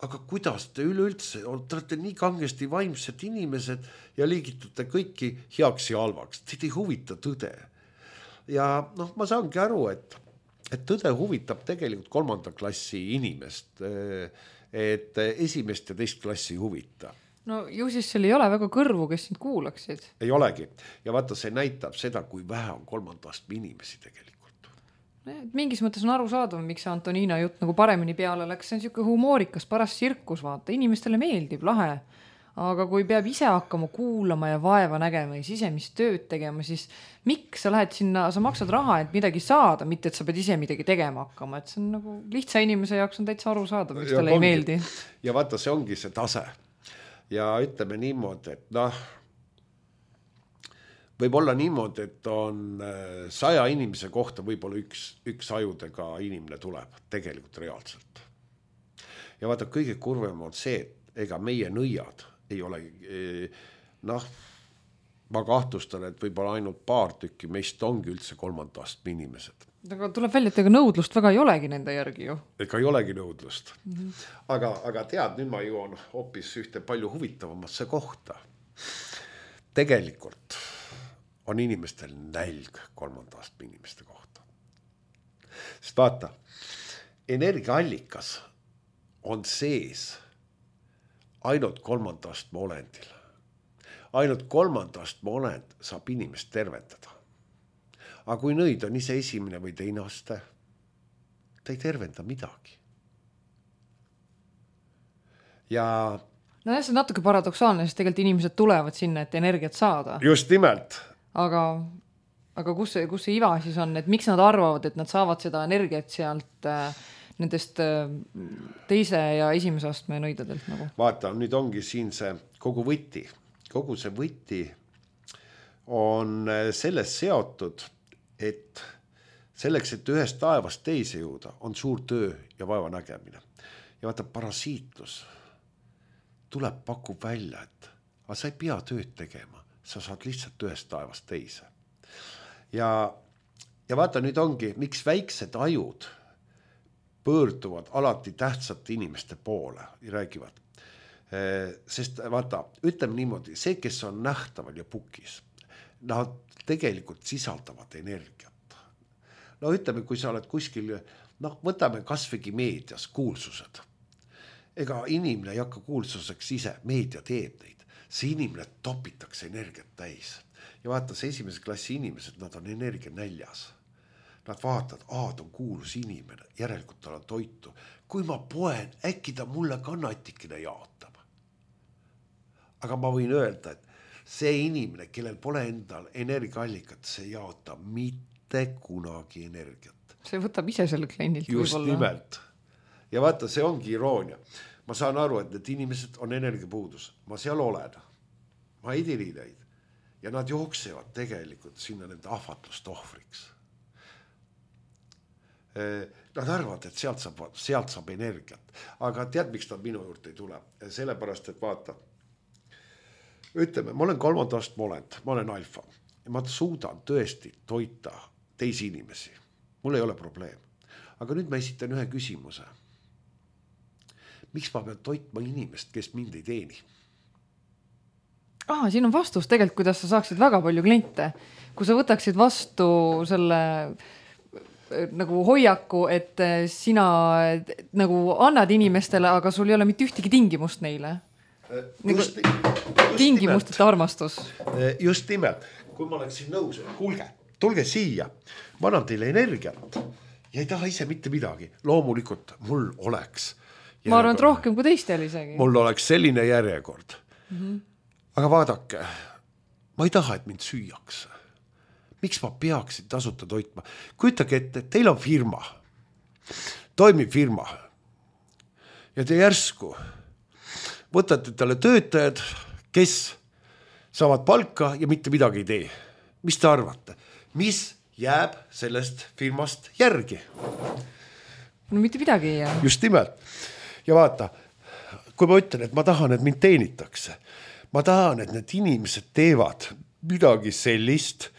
Aga kuidas te üleüldse, te olete nii kangesti vaimsed inimesed ja liigitute kõiki heaks ja halvaks. Teid ei huvita tõde. Ja noh, ma saangi aru, et, et tõde huvitab tegelikult kolmanda klassi inimest, et esimest ja teist klassi huvita. No ju siis seal ei ole väga kõrvu, kes sind kuulaksid. Ei olegi. Ja vaata, see näitab seda, kui vähe on kolmandast inimesi tegelikult. Mingis mõttes on aru saadav, miks Antoniina jutt nagu paremini peale läks. See on siuke humoorikas, paras sirkus, vaata. Inimestele meeldib, lahe. Aga kui peab ise hakkama kuulama ja vaeva nägema ja sisemist tööd tegema, siis miks sa lähed sinna, sa maksad raha, et midagi saada, mitte et sa pead ise midagi tegema hakkama. Et see on nagu lihtsa inimese jaoks on täitsa aru saadav, miks talle ei meeldi. Ja vaata, see ongi see tase. Ja ütleme niimoodi, et noh, võib olla niimoodi, et on saja inimese kohta võib-olla üks, üks ajudega inimene tuleb tegelikult reaalselt. Ja vaata, kõige kurvem on see, et ega meie nõiad ei ole, noh, ma kahtlustan, et võib-olla ainult paar tükki meist ongi üldse kolmandast inimesed. Aga tuleb välja, et ega nõudlust väga ei olegi nende järgi ju. Ega ei olegi nõudlust. Mm-hmm. Aga, aga tead, nüüd ma jõuan hoopis ühte palju huvitavamasse kohta. Tegelikult on inimestel nälg kolmandast inimeste kohta. Sest vaata, energiaallikas on sees ainult kolmandast olendil. Ainult kolmandast olend saab inimest tervendada. Aga kui nõid on ise esimene või teine aste, ta ei tervenda midagi. Ja no jah, see on natuke paradoksaalne, sest tegelikult inimesed tulevad sinna, et energiat saada. Just nimelt. Aga, aga kus see, kus see iva siis on, et miks nad arvavad, et nad saavad seda energiat sealt äh, nendest äh, teise ja esimese astme nõidadelt nagu? Vaata, nüüd ongi siin see kogu võti. Kogu see võti on selles seotud, et selleks, et ühest taevast teise jõuda, on suur töö ja vaeva nägemine. Ja vaata, parasiitlus tuleb, pakub välja, et aga sa ei pea tööd tegema, sa saad lihtsalt ühest taevast teise. Ja, ja vaata, nüüd ongi, miks väiksed ajud pöörduvad alati tähtsate inimeste poole ja räägivad. Sest vaata, ütleme niimoodi, see, kes on nähtaval ja pukis, nad tegelikult sisaldavad energiat. No ütleme, kui sa oled kuskil, noh, võtame kasvõi meedias kuulsused. Ega inimene ei hakka kuulsuseks ise, meedia teeb neid. See inimene topitakse energiat täis. ja vaata, see esimese klassi inimesed, nad on energia näljas. Nad vaatavad, aa, ta on kuulus inimene, järelikult tal on toitu. Kui ma poen, äkki ta mulle ka natikene jaotab. Aga ma võin öelda, et see inimene, kellel pole endal energiaallikat, see jaotab mitte kunagi energiat. See võtab ise selle kliendilt. Just võibolla. Nimelt. Ja vaata, see ongi iroonia. Ma saan aru, et need inimesed on energiapuudus. Ma seal olen. Ma ei tiri neid. Ja nad jooksevad tegelikult sinna nende ahvatlust ohvriks. Nad arvavad, et sealt saab, sealt saab energiat. Aga tead, miks nad minu juurde ei tule? Sellepärast, et vaata, ütleme, ma olen kolmandast molend, ma olen alfa. Ja ma suudan tõesti toita teisi inimesi. Mul ei ole probleem. Aga nüüd ma esitan ühe küsimuse. Miks ma pean toitma inimest, kes mind ei teeni? Ah, siin on vastus tegelikult, kuidas sa saaksid väga palju kliente. Kui sa võtaksid vastu selle nagu hoiaku, et sina nagu annad inimestele, aga sul ei ole mitte ühtegi tingimust neile. Just, just tingimusteta armastus. Just nimelt. Kui ma oleksin nõus, kuulge, tulge siia. Ma annan teile energiat ja ei taha ise mitte midagi. Loomulikult mul oleks järjekord. Ma arvan, et rohkem kui teistel isegi. Mul oleks selline järjekord. Mm-hmm. Aga vaadake, ma ei taha, et mind süüakse. Miks ma peaksin tasuta toitma? Kujutage ette, teil on firma, toimib firma ja te järsku võtate talle töötajad, kes saavad palka ja mitte midagi ei tee. Mis te arvate? Mis jääb sellest firmast järgi? No mitte midagi ei jää. Just nimelt. Ja vaata, kui ma ütlen, et ma tahan, et mind teenitakse, ma tahan, et need inimesed teevad midagi sellist,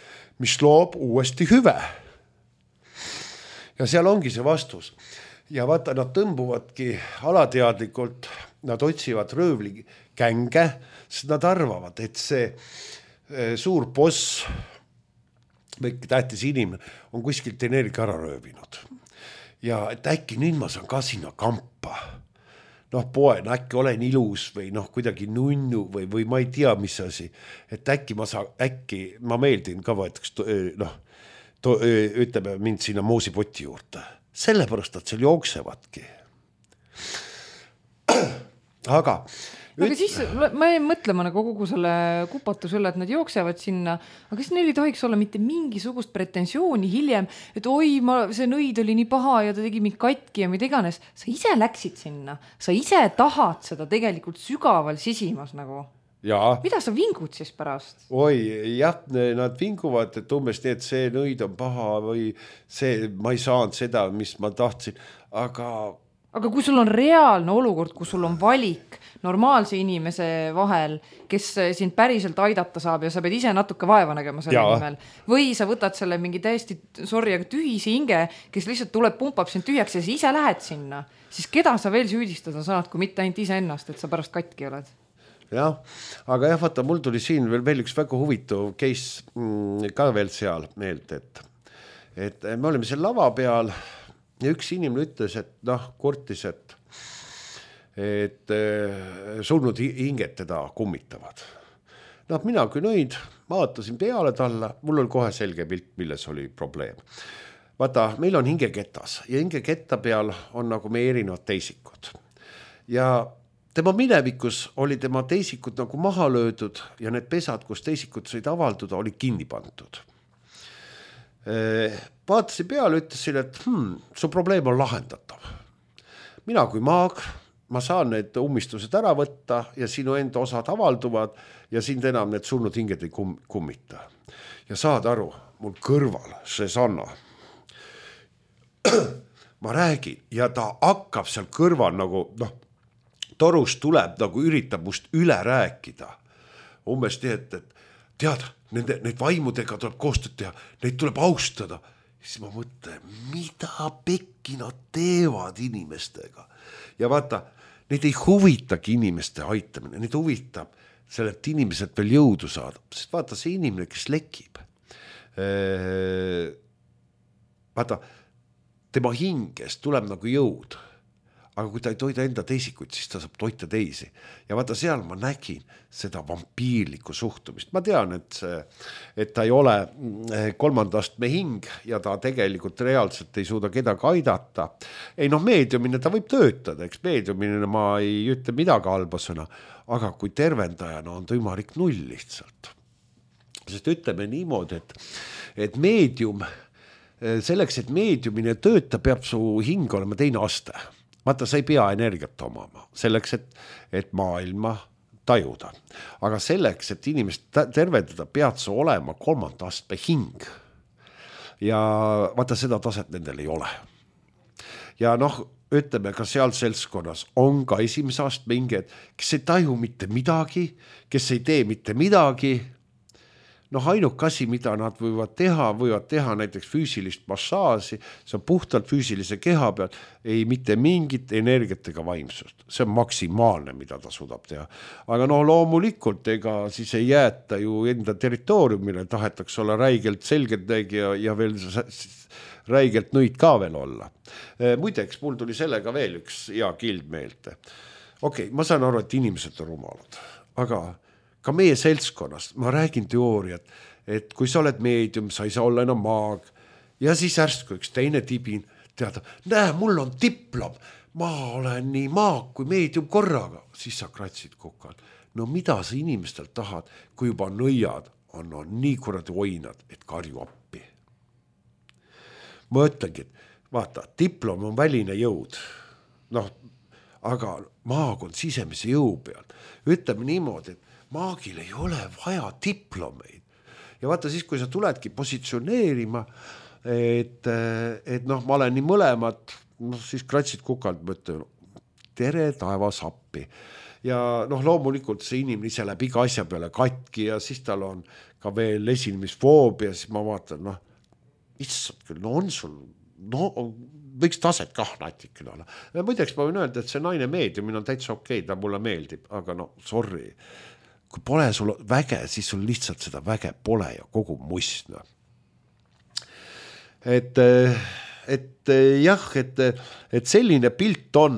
mis loob uuesti hüve. Ja seal ongi see vastus. Ja vaata, nad tõmbuvadki alateadlikult, nad otsivad röövli känge, sest nad arvavad, et see suur boss või tähtis inimene on kuskilt energia ära röövinud. Ja et äkki nüüd ma saan ka sinna kampa. Noh, poen, äkki olen ilus või noh, kuidagi nunnu või, või ma ei tea, mis asi. Et äkki ma saan, äkki ma meeldin ka võetaks, noh, to, ütleme mind sinna moosipoti juurde. Sellepärast, et seal jooksevadki. Aga... Aga siis ma ei mõtlema nagu kogu selle kupatuse üle, et nad jooksevad sinna, aga siis neil ei tohiks olla mitte mingisugust pretensiooni hiljem, et oi, ma, see nõid oli nii paha ja ta tegi mind katki ja mida iganes. Sa ise läksid sinna, sa ise tahad seda tegelikult sügaval sisimas nagu. Ja. Mida sa vingud siis pärast? Oi, jah, nad vinguvad, et umbes nii, et see nõid on paha või see, ma ei saanud seda, mis ma tahtsin, aga... Aga kui sul on reaalne olukord, kui sul on valik normaalse inimese vahel, kes sind päriselt aidata saab ja sa pead ise natuke vaeva nägema selle ja. Nimel, või sa võtad selle mingi täiesti, sorry, aga tühise hinge, kes lihtsalt tuleb, pumpab sind tühjaks ja sa ise lähed sinna, siis keda sa veel süüdistada saad, kui mitte ainult ise ennast, et sa pärast katki oled? Jah, aga jah, vaata, mul tuli siin veel, veel üks väga huvitav case mm, ka veel seal meelt, et, et me olime seal lava peal ja üks inimene ütles, et noh, kurtis, et, et surnud hinged teda kummitavad. Noh, mina kui nõid, vaatasin peale talle, mul oli kohe selge pilt, milles oli probleem. Vaata, meil on hingeketas ja hingeketta peal on nagu meie erinevad teisikud. Ja tema minevikus oli tema teisikud nagu maha löödud ja need pesad, kus teisikud said avalduda, oli kinni pandud. Vaatasin peale, ütlesin, et hmm, su probleem on lahendatav. Mina kui maag, ma saan need ummistused ära võtta ja sinu enda osad avalduvad ja sind enam need surnud hinged ei kum- kummita. Ja saad aru, mul kõrval see Sanna. Ma räägin ja ta hakkab seal kõrval nagu, noh, torus tuleb, nagu üritab must üle rääkida. Umbes nii, et, et tead, nende, neid vaimudega tuleb koostööd teha, neid tuleb austada. Siis ma mõtlen, mida pekki nad teevad inimestega. Ja vaata, neid ei huvitagi inimeste aitamine, neid huvitab sellelt inimeselt veel jõudu saada. Sest vaata, see inimene, kes lekib, vaata, tema hingest tuleb nagu jõud. aga kui ta ei toida enda teisikuid, siis ta saab toita teisi. Ja vaata, seal ma nägin seda vampiirlikku suhtumist. Ma tean, et, see, et ta ei ole kolmandast me hing ja ta tegelikult reaalselt ei suuda kedagi aidata. Ei noh, meediumine ta võib töötada, eks meediumine ma ei ütle midagi halba sõna, aga kui tervendajana on ta ümarik null lihtsalt. Sest ütleme niimoodi, et, et meedium, selleks, et meediumine tööta, peab su hing olema teine aste. Vaata, sa ei pea energiat omama selleks, et, et maailma tajuda. Aga selleks, et inimest tervendada, pead sa olema kolmanda astme hing. Ja vaata, seda taset nendel ei ole. Ja noh, ütleme ka seal seltskonnas on ka esimese astme hinged, kes ei taju mitte midagi, kes ei tee mitte midagi. Noh, ainuke asi, mida nad võivad teha, võivad teha näiteks füüsilist massaasi, see on puhtalt füüsilise keha peal, ei mitte mingit energiat ega vaimsust. See on maksimaalne, mida ta suudab teha. Aga noh, loomulikult, ega siis ei jäeta ju enda territooriumile, tahetaks olla räigelt selgelt ja, ja veel räigelt nõid ka veel olla. Muideks, mul tuli sellega veel üks hea kild meelde. Okei, ma saan aru, et inimesed on rumalad, aga ka meie seltskonnas, ma räägin teooriat, et kui sa oled meedium, sa ei saa olla enam maag ja siis ärsku üks teine tibin teada, näe, mul on diplom, ma olen nii maag kui meedium korraga, siis sa kratsid kukal. No mida sa inimestel tahad, kui juba nõiad on, on nii kuradi oinad, et karju appi. Ma ütlengi, et vaata, diplom on väline jõud, noh, aga maag on sisemise jõu peal. Ütleme niimoodi, et maagil ei ole vaja diplomeid. Ja vaata siis, kui sa tuledki positsioneerima, et, et noh, ma olen nii mõlemad, noh, siis kratsid kukalt, mõtlen, tere taevas appi. Ja noh, loomulikult see inimene ise läheb iga asja peale katki ja siis tal on ka veel esinemisfoobia, siis ma vaatan, noh, issand küll, no on sul, no võiks taset kah natikene olla. Muideks ma võin öelda, et see naine meediumine on täitsa okei, ta mulle meeldib, aga no sorry. Kui pole sul väge, siis sul lihtsalt seda väge pole ja kogu mustna. Et, et jah, et, et selline pilt on.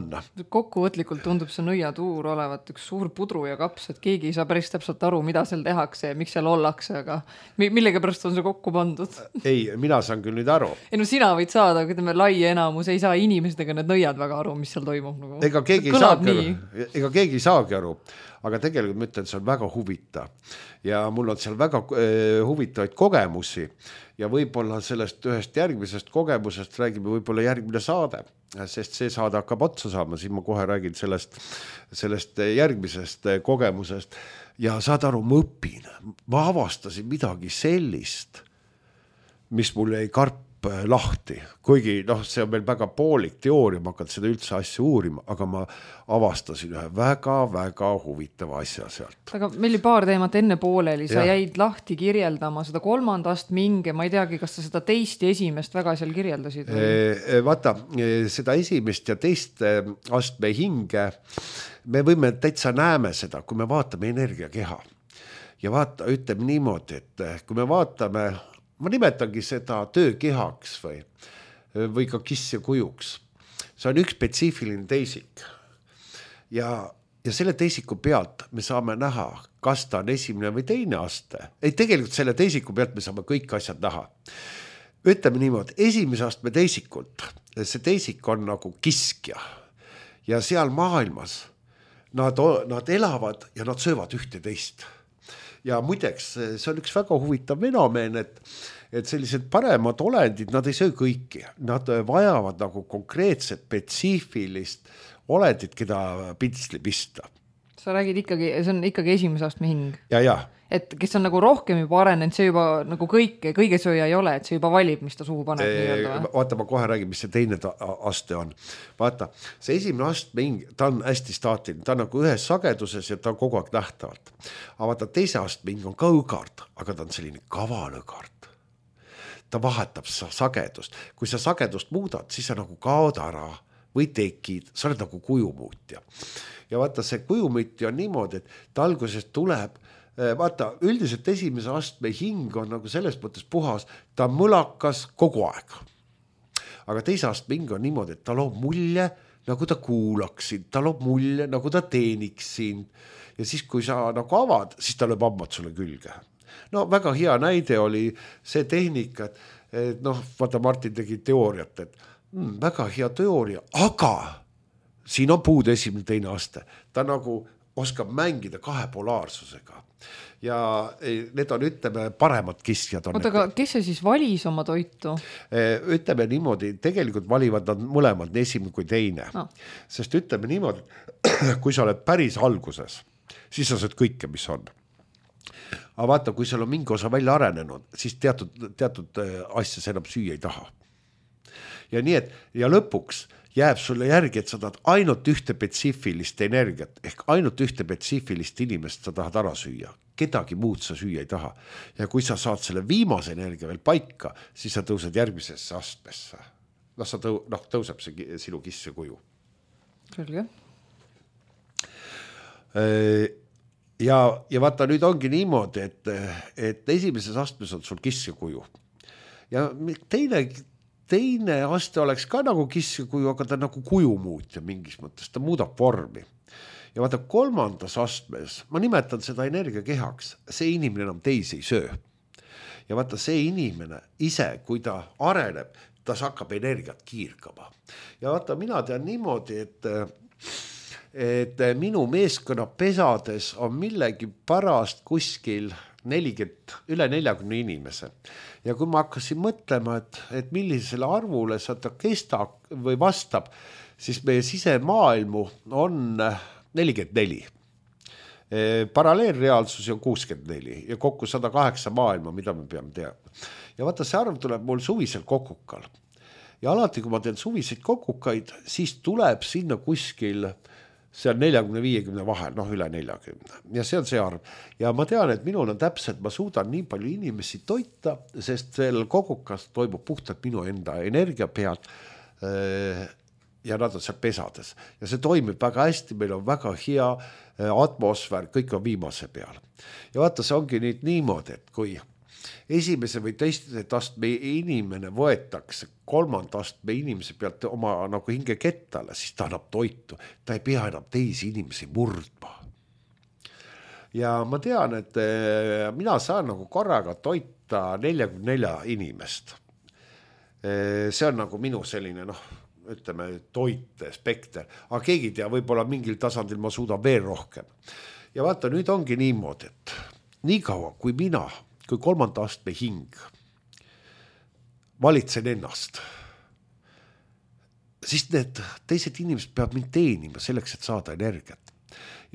Kokkuvõtlikult tundub see nõiatuur olevat üks suur pudru ja kaps, et keegi ei saa päris täpselt aru, mida seal tehakse ja miks seal ollakse, aga millega pärast on see kokku pandud? Ei, mina saan küll nüüd aru. Ei no sina võid saada, kui teeme lai enamus, ei saa inimesed ega need nõiad väga aru, mis seal toimub. Nagu. Ega keegi ei saagi aru. Ega keegi ei saagi aru. Aga tegelikult ma ütlen, see on väga huvitav ja mul on seal väga eh, huvitavaid kogemusi ja võib-olla sellest ühest järgmisest kogemusest räägime võib-olla järgmine saade, sest see saade hakkab otsa saama, siis ma kohe räägin sellest, sellest järgmisest kogemusest ja saad aru, ma õpin, ma avastasin midagi sellist, mis mul ei karp lahti, kuigi noh, see on meil väga poolik teooria, ma hakkan seda üldse asja uurima, aga ma avastasin ühe väga-väga huvitava asja sealt. Aga meil oli paar teemat enne pooleli, sa ja. jäid lahti kirjeldama seda kolmandast minge, ma ei teagi, kas sa seda teist ja esimest väga seal kirjeldasid? E, vaata, seda esimest ja teist astme hinge, me võime täitsa näeme seda, kui me vaatame energiakeha ja vaata, ütleme niimoodi, et kui me vaatame ma nimetangi seda töökehaks või, või ka kiss ja kujuks. See on üks spetsiifiline teisik. Ja, ja selle teisiku pealt me saame näha, kas ta on esimene või teine aste. Ei, tegelikult selle teisiku pealt me saame kõik asjad näha. Ütleme niimoodi, esimese astme teisikult, see teisik on nagu kiskja. Ja seal maailmas nad, nad elavad ja nad söövad ühte teist. Ja muideks, see on üks väga huvitav fenomen, et, et sellised paremad olendid, nad ei söö kõiki. Nad vajavad nagu konkreetset, spetsiifilist olendit, keda pintsli pista. Sa räägid ikkagi, see on ikkagi esimese astme hing. Ja, ja. Et kes on nagu rohkem juba arenenud, see juba nagu kõike, kõige sööja ei ole, et see juba valib, mis ta suhu paneb. E, vaata, ma kohe räägin, mis see teine aste on. Vaata, see esimene astme hing, ta on hästi staatiline, ta on nagu ühes sageduses ja ta on kogu aeg nähtavalt. Aga vaata, teise astme hing on ka õgard, aga ta on selline kaval õgard. Ta vahetab sagedust. Kui sa sagedust muudad, siis sa nagu kaod ära või tekid, sa oled nagu kujumuutja. Ja vaata, see kujumuutja on niimoodi, et ta algusest tuleb vaata, üldiselt esimese astme hing on nagu selles mõttes puhas, ta on mõlakas kogu aeg. Aga teise astme hing on niimoodi, et ta loob mulje nagu ta kuulaks sind, ta loob mulje, nagu ta teeniks sind ja siis, kui sa nagu avad, siis ta lööb hambad sulle külge. No väga hea näide oli see tehnika, et, et noh, vaata Martin tegi teooriat, et mm, väga hea teooria, aga siin on puud esimene teine aste. Ta nagu oskab mängida kahe polaarsusega ja need on, ütleme, paremad kiskjad. On Oota, aga kes see siis valis oma toitu? Ütleme niimoodi, tegelikult valivad nad mõlemad nii esimene kui teine. No. Sest ütleme niimoodi, kui sa oled päris alguses, siis sa saad kõike, mis on. Aga vaata, kui seal on mingi osa välja arenenud, siis teatud, teatud asja enam süüa ei taha. Ja nii, et ja lõpuks jääb sulle järgi, et sa tahad ainult ühte spetsiifilist energiat, ehk ainult ühte spetsiifilist inimest sa tahad ära süüa. Kedagi muud sa süüa ei taha. Ja kui sa saad selle viimase energia veel paika, siis sa tõused järgmisesse astmesse. No, sa tõu, noh, tõuseb see sinu kisse kuju. Selge. Ja, ja vaata, nüüd ongi niimoodi, et, et esimeses astmes on sul kisse kuju. Ja teine, teine aste oleks ka nagu kisse kuju, aga ta nagu kuju muutja mingis mõttes, ta muudab vormi. Ja vaata, kolmandas astmes, ma nimetan seda energiakehaks, see inimene enam teisi ei söö. Ja vaata, see inimene ise, kui ta areneb, ta hakkab energiat kiirkama. Ja vaata, mina tean niimoodi, et et minu meeskonna pesades on millegi pärast kuskil nelikümmend, üle neljakümne inimese. Ja kui ma hakkasin mõtlema, et, et millisele arvule sa ta kestab või vastab, siis meie sisemaailmu on nelikümmend neli. Paralleelreaalsus on kuuskümmend neli ja kokku sada kaheksa maailma, mida me peame teadma. Ja vaata, see arv tuleb mul suvisel kokukal. Ja alati, kui ma teen suviseid kokukaid, siis tuleb sinna kuskil see on neljakümne viiekümne vahel, noh üle neljakümne. Ja see on see arv. Ja ma tean, et minul on täpselt, ma suudan nii palju inimesi toita, sest sellel kogukas toimub puhtalt minu enda energia pealt ja nad on seal pesades. Ja see toimib väga hästi, meil on väga hea atmosfäär, kõik on viimase peal. Ja vaata, see ongi nüüd niimoodi, et kui esimese või teiste astme inimene võetakse kolmanda astme inimese pealt oma nagu hinge kettale, siis ta annab toitu. Ta ei pea enam teisi inimesi murdma. Ja ma tean, et mina saan nagu korraga toita neljakümne nelja inimest. See on nagu minu selline, noh, ütleme, toite, spekter. Aga keegi tea, võib-olla mingil tasandil ma suudan veel rohkem. Ja vaata, nüüd ongi niimoodi, et nii kaua kui mina kui kolmanda astme hing valitsen ennast, siis need teised inimesed peavad mind teenima selleks, et saada energiat.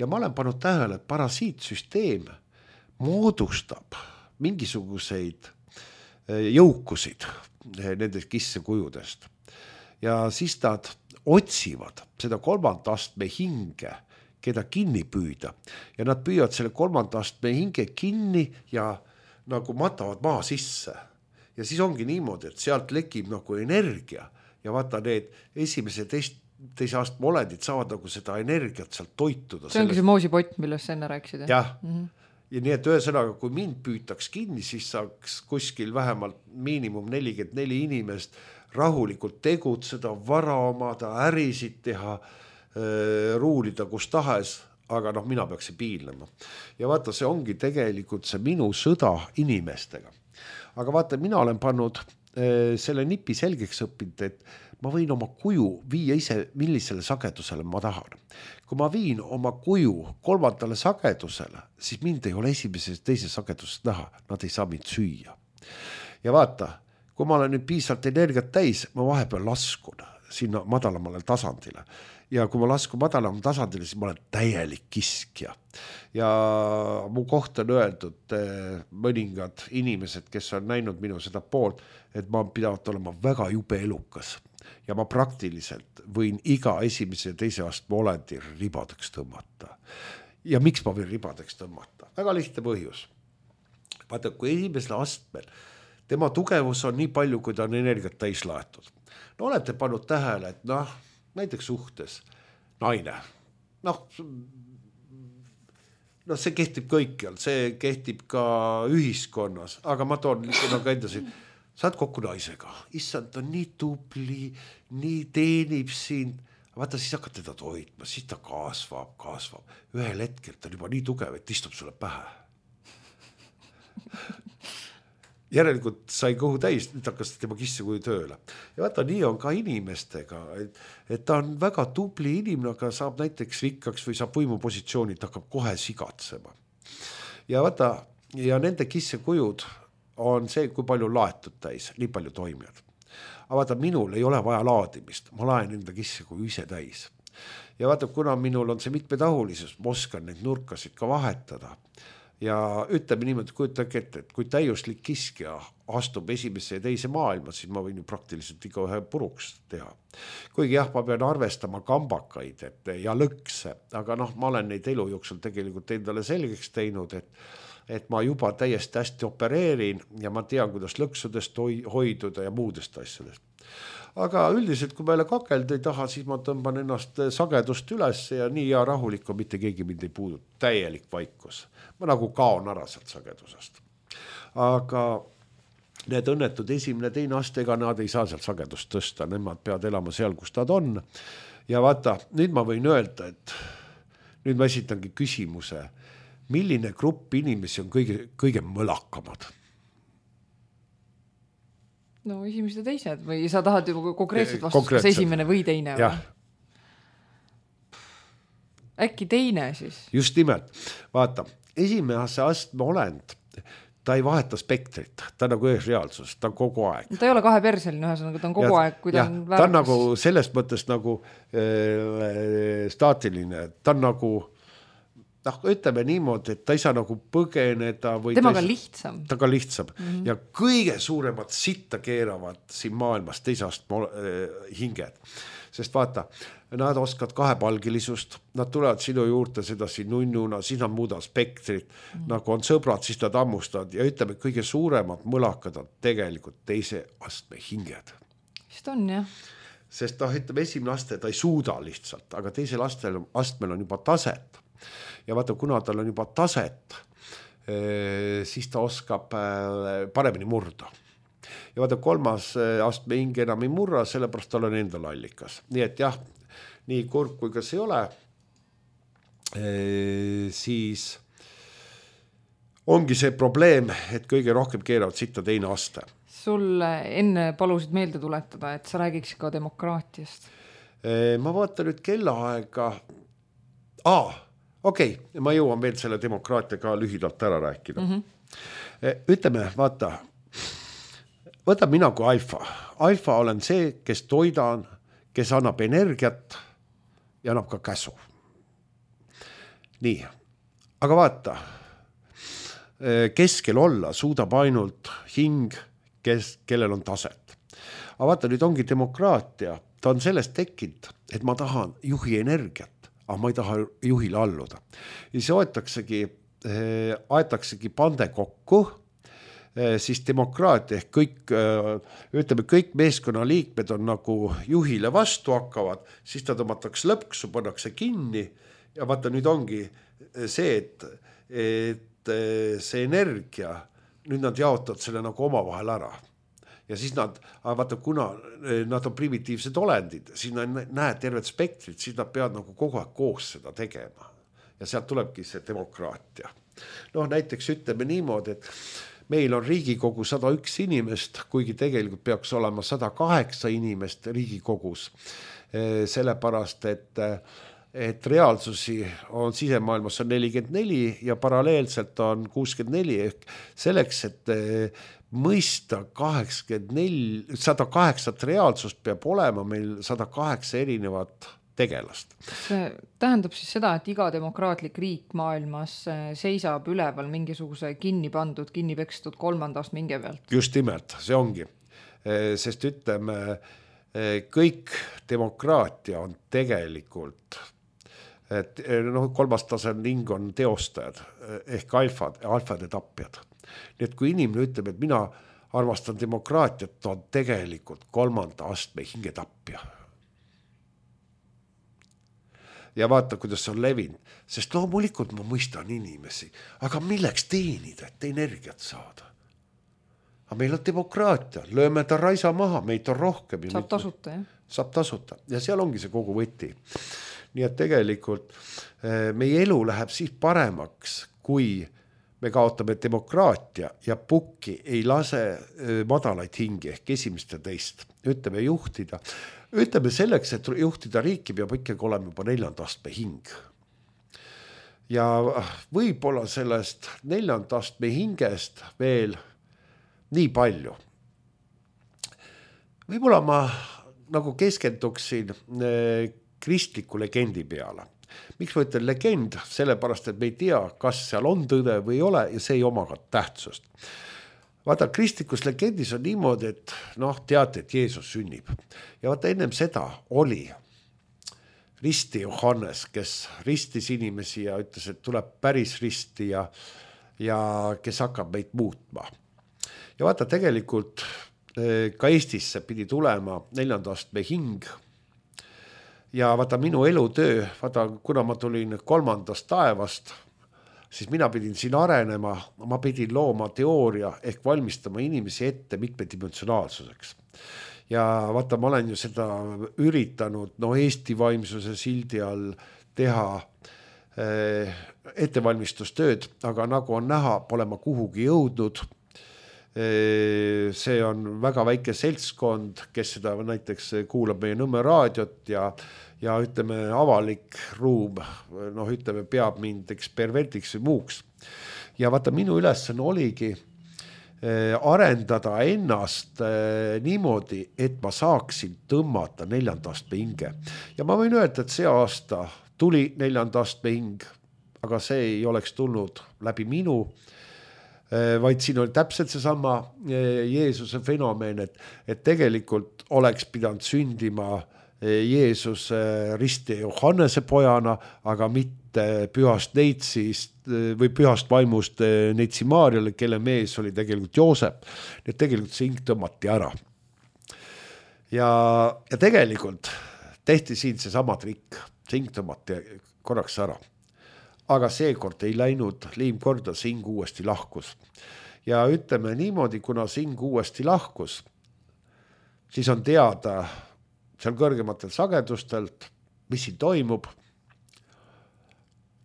Ja ma olen pannud tähele, et parasiitsüsteem moodustab mingisuguseid jõukusid nendest kissekujudest. Ja siis nad otsivad seda kolmanda astme hinge, keda kinni püüda. Ja nad püüavad selle kolmanda astme hinge kinni ja nagu matavad maa sisse. Ja siis ongi niimoodi, et sealt lekib nagu energia ja vaata need esimese teist, teise astme olendid saavad nagu seda energiat sealt toituda. See ongi see moosipott, millest sa enne rääkisid. Jah. Mm-hmm. Ja nii, et ühesõnaga, kui mind püütaks kinni, siis saaks kuskil vähemalt miinimum nelikümmend neli inimest rahulikult tegutseda, vara omada, ärisid teha, ruulida kus tahes, aga noh, mina peaksin piilnema. Ja vaata, see ongi tegelikult see minu sõda inimestega. Aga vaata, mina olen pannud äh, selle nipi selgeks õppinud, et ma võin oma kuju viia ise, millisele sagedusele ma tahan. Kui ma viin oma kuju kolmandale sagedusele, siis mind ei ole esimeses teise sagedusest näha, nad ei saa mind süüa. Ja vaata, kui ma olen nüüd piisavalt energiat täis, ma vahepeal laskun sinna madalamale tasandile. Ja kui ma laskun madalam tasandile, siis ma olen täielik kiskja. Ja mu kohta on öeldud mõningad inimesed, kes on näinud minu seda poolt, et ma pidavad olema väga jube elukas. Ja ma praktiliselt võin iga esimese ja teise astme olendi ribadeks tõmmata. Ja miks ma võin ribadeks tõmmata? Väga lihtne põhjus. Vaata, kui esimesel astmel tema tugevus on nii palju, kui ta on energiat täis laetud. No olete pannud tähele, et noh, näiteks suhtes naine, noh, no see kehtib kõikjal, see kehtib ka ühiskonnas, aga ma toon nagu endasin, saad kokku naisega, issand, on nii tubli, nii teenib sind, vaata, siis hakkad teda toitma, siis ta kasvab, kasvab. Ühel hetkel ta on juba nii tugev, et istub sulle pähe. Järelikult sai kõhu täis, nüüd hakkas tema kissekuju tööle. Ja vaata, nii on ka inimestega, et, et ta on väga tubli inimene, aga saab näiteks rikkaks või saab võimupositsioonid, hakkab kohe sigatsema. Ja vaata, ja nende kissekujud on see, kui palju laetud täis, nii palju toimijad. Aga vaata, minul ei ole vaja laadimist, ma laen enda kissekuju ise täis. Ja vaata, kuna minul on see mitmetahulisus, ma oskan neid nurkasid ka vahetada. Ja ütleme niimoodi, kujutage ette, et kui täiuslik kiskja astub esimesse ja teise maailma, siis ma võin ju praktiliselt iga ühe puruks teha. Kuigi jah, ma pean arvestama kambakaid et, ja lõkse, aga noh, ma olen neid elu jooksul tegelikult endale selgeks teinud, et, et ma juba täiesti hästi opereerin ja ma tean, kuidas lõksudest hoiduda ja muudest asjadest. Aga üldiselt, kui meile kakelda ei taha, siis ma tõmban ennast sagedust üles ja nii ja rahulik on, mitte keegi mind ei puudut. Täielik vaikus. Ma nagu kaon ära sealt sagedusest. Aga need õnnetud esimene teine astega, nad ei saa sealt sagedust tõsta. Nemad peavad elama seal, kus nad on. Ja vaata, nüüd ma võin öelda, et nüüd ma esitangi küsimuse, milline grupp inimesi on kõige, kõige mõlakamad? No esimesed ja teised või sa tahad ju konkreetselt vastust, kas esimene või teine? Jah. Äkki teine siis? Just nimelt. Vaata, esimese astme olend, ta ei vaheta spektrit, ta on nagu ühes reaalsus, ta on kogu aeg. Ta ei ole kaheperseline, ühesõnaga, ta on kogu ja, aeg, kui ta ja, on väärakas. Ta on nagu selles mõttes nagu äh, staatiline, ta on nagu noh, ütleme niimoodi, et ta ei saa nagu põgeneda või temaga on lihtsam. Ta ka lihtsam. Mm-hmm. Ja kõige suuremad sitta keeravad siin maailmas teisast äh, hinged. Sest vaata, nad oskavad kahepalgilisust, nad tulevad sinu juurde sedasi nunnuna, siis nad muudavad spektrit, mm-hmm. nagu on sõbrad, siis nad ammustavad ja ütleme, kõige suuremad mõlakad on tegelikult teise astme hinged. Vist on, jah. Sest noh, ütleme, esimene aste ta ei suuda lihtsalt, aga teisel astel, astmel on juba taset. Ja vaata, kuna tal on juba taset, siis ta oskab paremini murda. Ja vaata, kolmas astme hing enam ei murra, sellepärast tal on endal allikas. Nii et jah, nii kurb kui kas ei ole, siis ongi see probleem, et kõige rohkem keeravad sitta teine aste. Sul enne palusid meelde tuletada, et sa räägiks ka demokraatiast. Ma vaatan nüüd kellaaega. Aa, okei, okay, ma jõuan veel selle demokraatia ka lühidalt ära rääkida. Mm-hmm. Ütleme, vaata, võta mina kui alfa. Alfa olen see, kes toidan, kes annab energiat ja annab ka käsu. Nii, aga vaata, keskel olla suudab ainult hing, kes, kellel on taset. Aga vaata, nüüd ongi demokraatia. Ta on sellest tekkinud, et ma tahan juhi energiat. Aga ma ei taha juhile alluda. Ja siis aetaksegi, aetaksegi pande kokku, siis demokraatia ehk kõik, ütleme, kõik meeskonna liikmed on nagu juhile vastu hakkavad, siis ta tõmmatakse lõpksu, pannakse kinni ja vaata nüüd ongi see, et, et see energia, nüüd nad jaotavad selle nagu oma vahel ära. Ja siis nad, vaata, kuna nad on primitiivsed olendid, siis nad näed tervet spektrit, siis nad peavad nagu kogu aeg koos seda tegema. Ja sealt tulebki see demokraatia. Noh, näiteks ütleme niimoodi, et meil on Riigikogu sada üks inimest, kuigi tegelikult peaks olema sada kaheksa inimest Riigikogus. Sellepärast, et, et reaalsusi on sisemaailmas on nelikümmend neli ja paralleelselt on kuuskümmend neli ehk selleks, et mõista kaheksakümmend neli, sada kaheksat reaalsust peab olema meil sada kaheksa erinevat tegelast. See tähendab siis seda, et iga demokraatlik riik maailmas seisab üleval mingisuguse kinni pandud, kinni pekstud kolmandast minge pealt. Just nimelt, see ongi. Sest ütleme, kõik demokraatia on tegelikult, et no, kolmas tasem ning on teostajad ehk alfad, alfade tapjad. Nii et kui inimene ütleb, et mina armastan demokraatiat, ta on tegelikult kolmanda astme hingetapja. Ja vaata, kuidas see on levinud, sest loomulikult ma mõistan inimesi, aga milleks teenida, et energiat saada? Aga meil on demokraatia, lööme ta raisa maha, meid on rohkem. Saab tasuta, jah? saab tasuta ja seal ongi see kogu võti. Nii et tegelikult meie elu läheb siis paremaks, kui me kaotame demokraatia ja pukki ei lase madalaid hingi ehk esimest ja teist. Ütleme juhtida. Ütleme selleks, et juhtida riiki peab ikkagi olema juba neljanda astme hing. Ja võib-olla sellest neljanda astme hingest veel nii palju. Võib-olla ma nagu keskenduksin kristliku legendi peale. Miks ma ütlen legend? Sellepärast, et me ei tea, kas seal on tõde või ei ole ja see ei oma ka tähtsust. Vaata, kristlikus legendis on niimoodi, et noh, teate, et Jeesus sünnib. Ja vaata, ennem seda oli risti Johannes, kes ristis inimesi ja ütles, et tuleb päris risti ja, ja kes hakkab meid muutma. Ja vaata, tegelikult ka Eestisse pidi tulema neljanda astme hing. Ja vaata minu elutöö, vaata kuna ma tulin kolmandast taevast, siis mina pidin siin arenema, ma pidin looma teooria ehk valmistama inimesi ette mitmedimensionaalsuseks. Ja vaata, ma olen ju seda üritanud no, Eesti vaimsuse sildi all teha eh, ettevalmistustööd, aga nagu on näha, pole ma kuhugi jõudnud. See on väga väike seltskond, kes seda näiteks kuulab meie Nõmme raadiot ja, ja ütleme avalik ruum, noh ütleme peab mind eksperimentiks või muuks. Ja vaata minu ülesanne oligi arendada ennast niimoodi, et ma saaksin tõmmata neljanda astme hinge. Ja ma võin öelda, et see aasta tuli neljanda astme hing, aga see ei oleks tulnud läbi minu, vaid siin oli täpselt seesama Jeesuse fenomen, et, et tegelikult oleks pidanud sündima Jeesus risti Johannese pojana, aga mitte pühast neitsist või pühast vaimust neitsi Maarjale, kelle mees oli tegelikult Joosep. Nii et tegelikult see hing tõmmati ära. Ja, ja tegelikult tehti siin seesama trikk, see hing tõmmati korraks ära. Aga seekord ei läinud liim korda, see hing uuesti lahkus. Ja ütleme niimoodi, kuna see hing uuesti lahkus, siis on teada seal kõrgematel sagedustelt, mis siin toimub.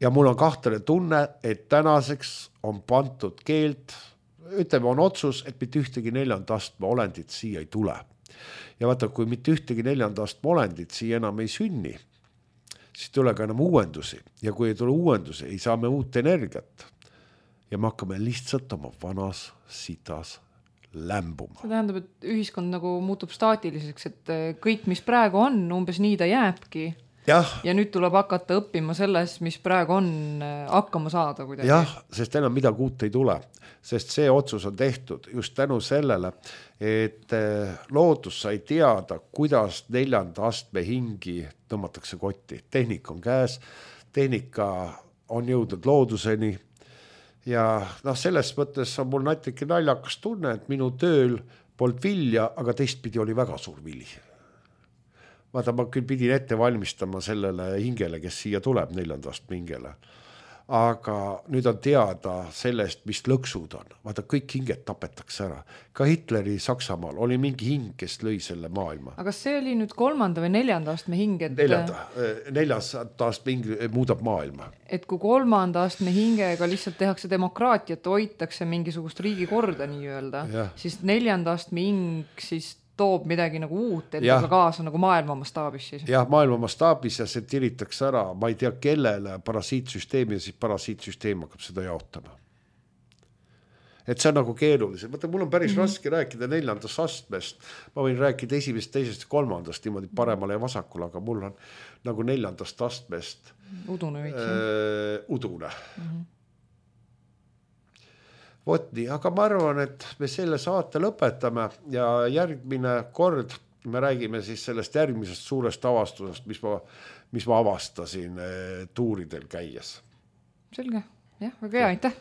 Ja mul on kahtlane tunne, et tänaseks on pantud keelt, ütleme on otsus, et mitte ühtegi neljanda astme olendit siia ei tule. Ja vaata, kui mitte ühtegi neljanda astme olendit siia enam ei sünni, siis tule ka enam uuendusi. Ja kui ei tule uuendusi, ei saa me uut energiat. Ja me hakkame lihtsalt oma vanas sitas lämbuma. See tähendab, et ühiskond nagu muutub staatiliseks, et kõik, mis praegu on, umbes nii ta jääbki. Ja, ja nüüd tuleb hakata õppima selles, mis praegu on hakkama saada kuidagi. Jah, sest enam midagi uut ei tule. Sest see otsus on tehtud just tänu sellele, et loodus sai teada, kuidas neljanda astme hingi tõmmatakse kotti. Tehnika on käes, tehnika on jõudnud looduseni ja noh, selles mõttes on mul natuke naljakas tunne, et minu tööl polnud vilja, aga teistpidi oli väga suur vili. Vaata, ma küll pidin ette valmistama sellele hingele, kes siia tuleb neljanda astme hingele. Aga nüüd on teada sellest, mis lõksud on. Vaata, kõik hinged tapetakse ära. Ka Hitleri Saksamaal oli mingi hing, kes lõi selle maailma. Aga see oli nüüd kolmanda või neljanda astme hing? Et... Neljanda, neljas astme hing muudab maailma. Et kui kolmanda astme hingega lihtsalt tehakse demokraatiat, hoitakse mingisugust riigi korda nii öelda, ja. Siis neljanda astme hing siis toob midagi nagu uut, et aga kaasa nagu maailma mastaabis siis. Jah, maailma mastaabis ja see tiritakse ära, ma ei tea kellele, parasiitsüsteemi ja siis parasiitsüsteem hakkab seda jaotama. Et see on nagu keerulisem. Mõtle, mul on päris mm-hmm. raske rääkida neljandast astmest. Ma võin rääkida esimest, teisest ja kolmandast niimoodi paremale ja vasakule, aga mul on nagu neljandast astmest udune veits. Äh, udune. Mm-hmm. Vot nii, aga ma arvan, et me selle saate lõpetame ja järgmine kord me räägime siis sellest järgmisest suurest avastusest, mis ma, mis ma avastasin tuuridel käies. Selge, jah, väga hea, aitäh!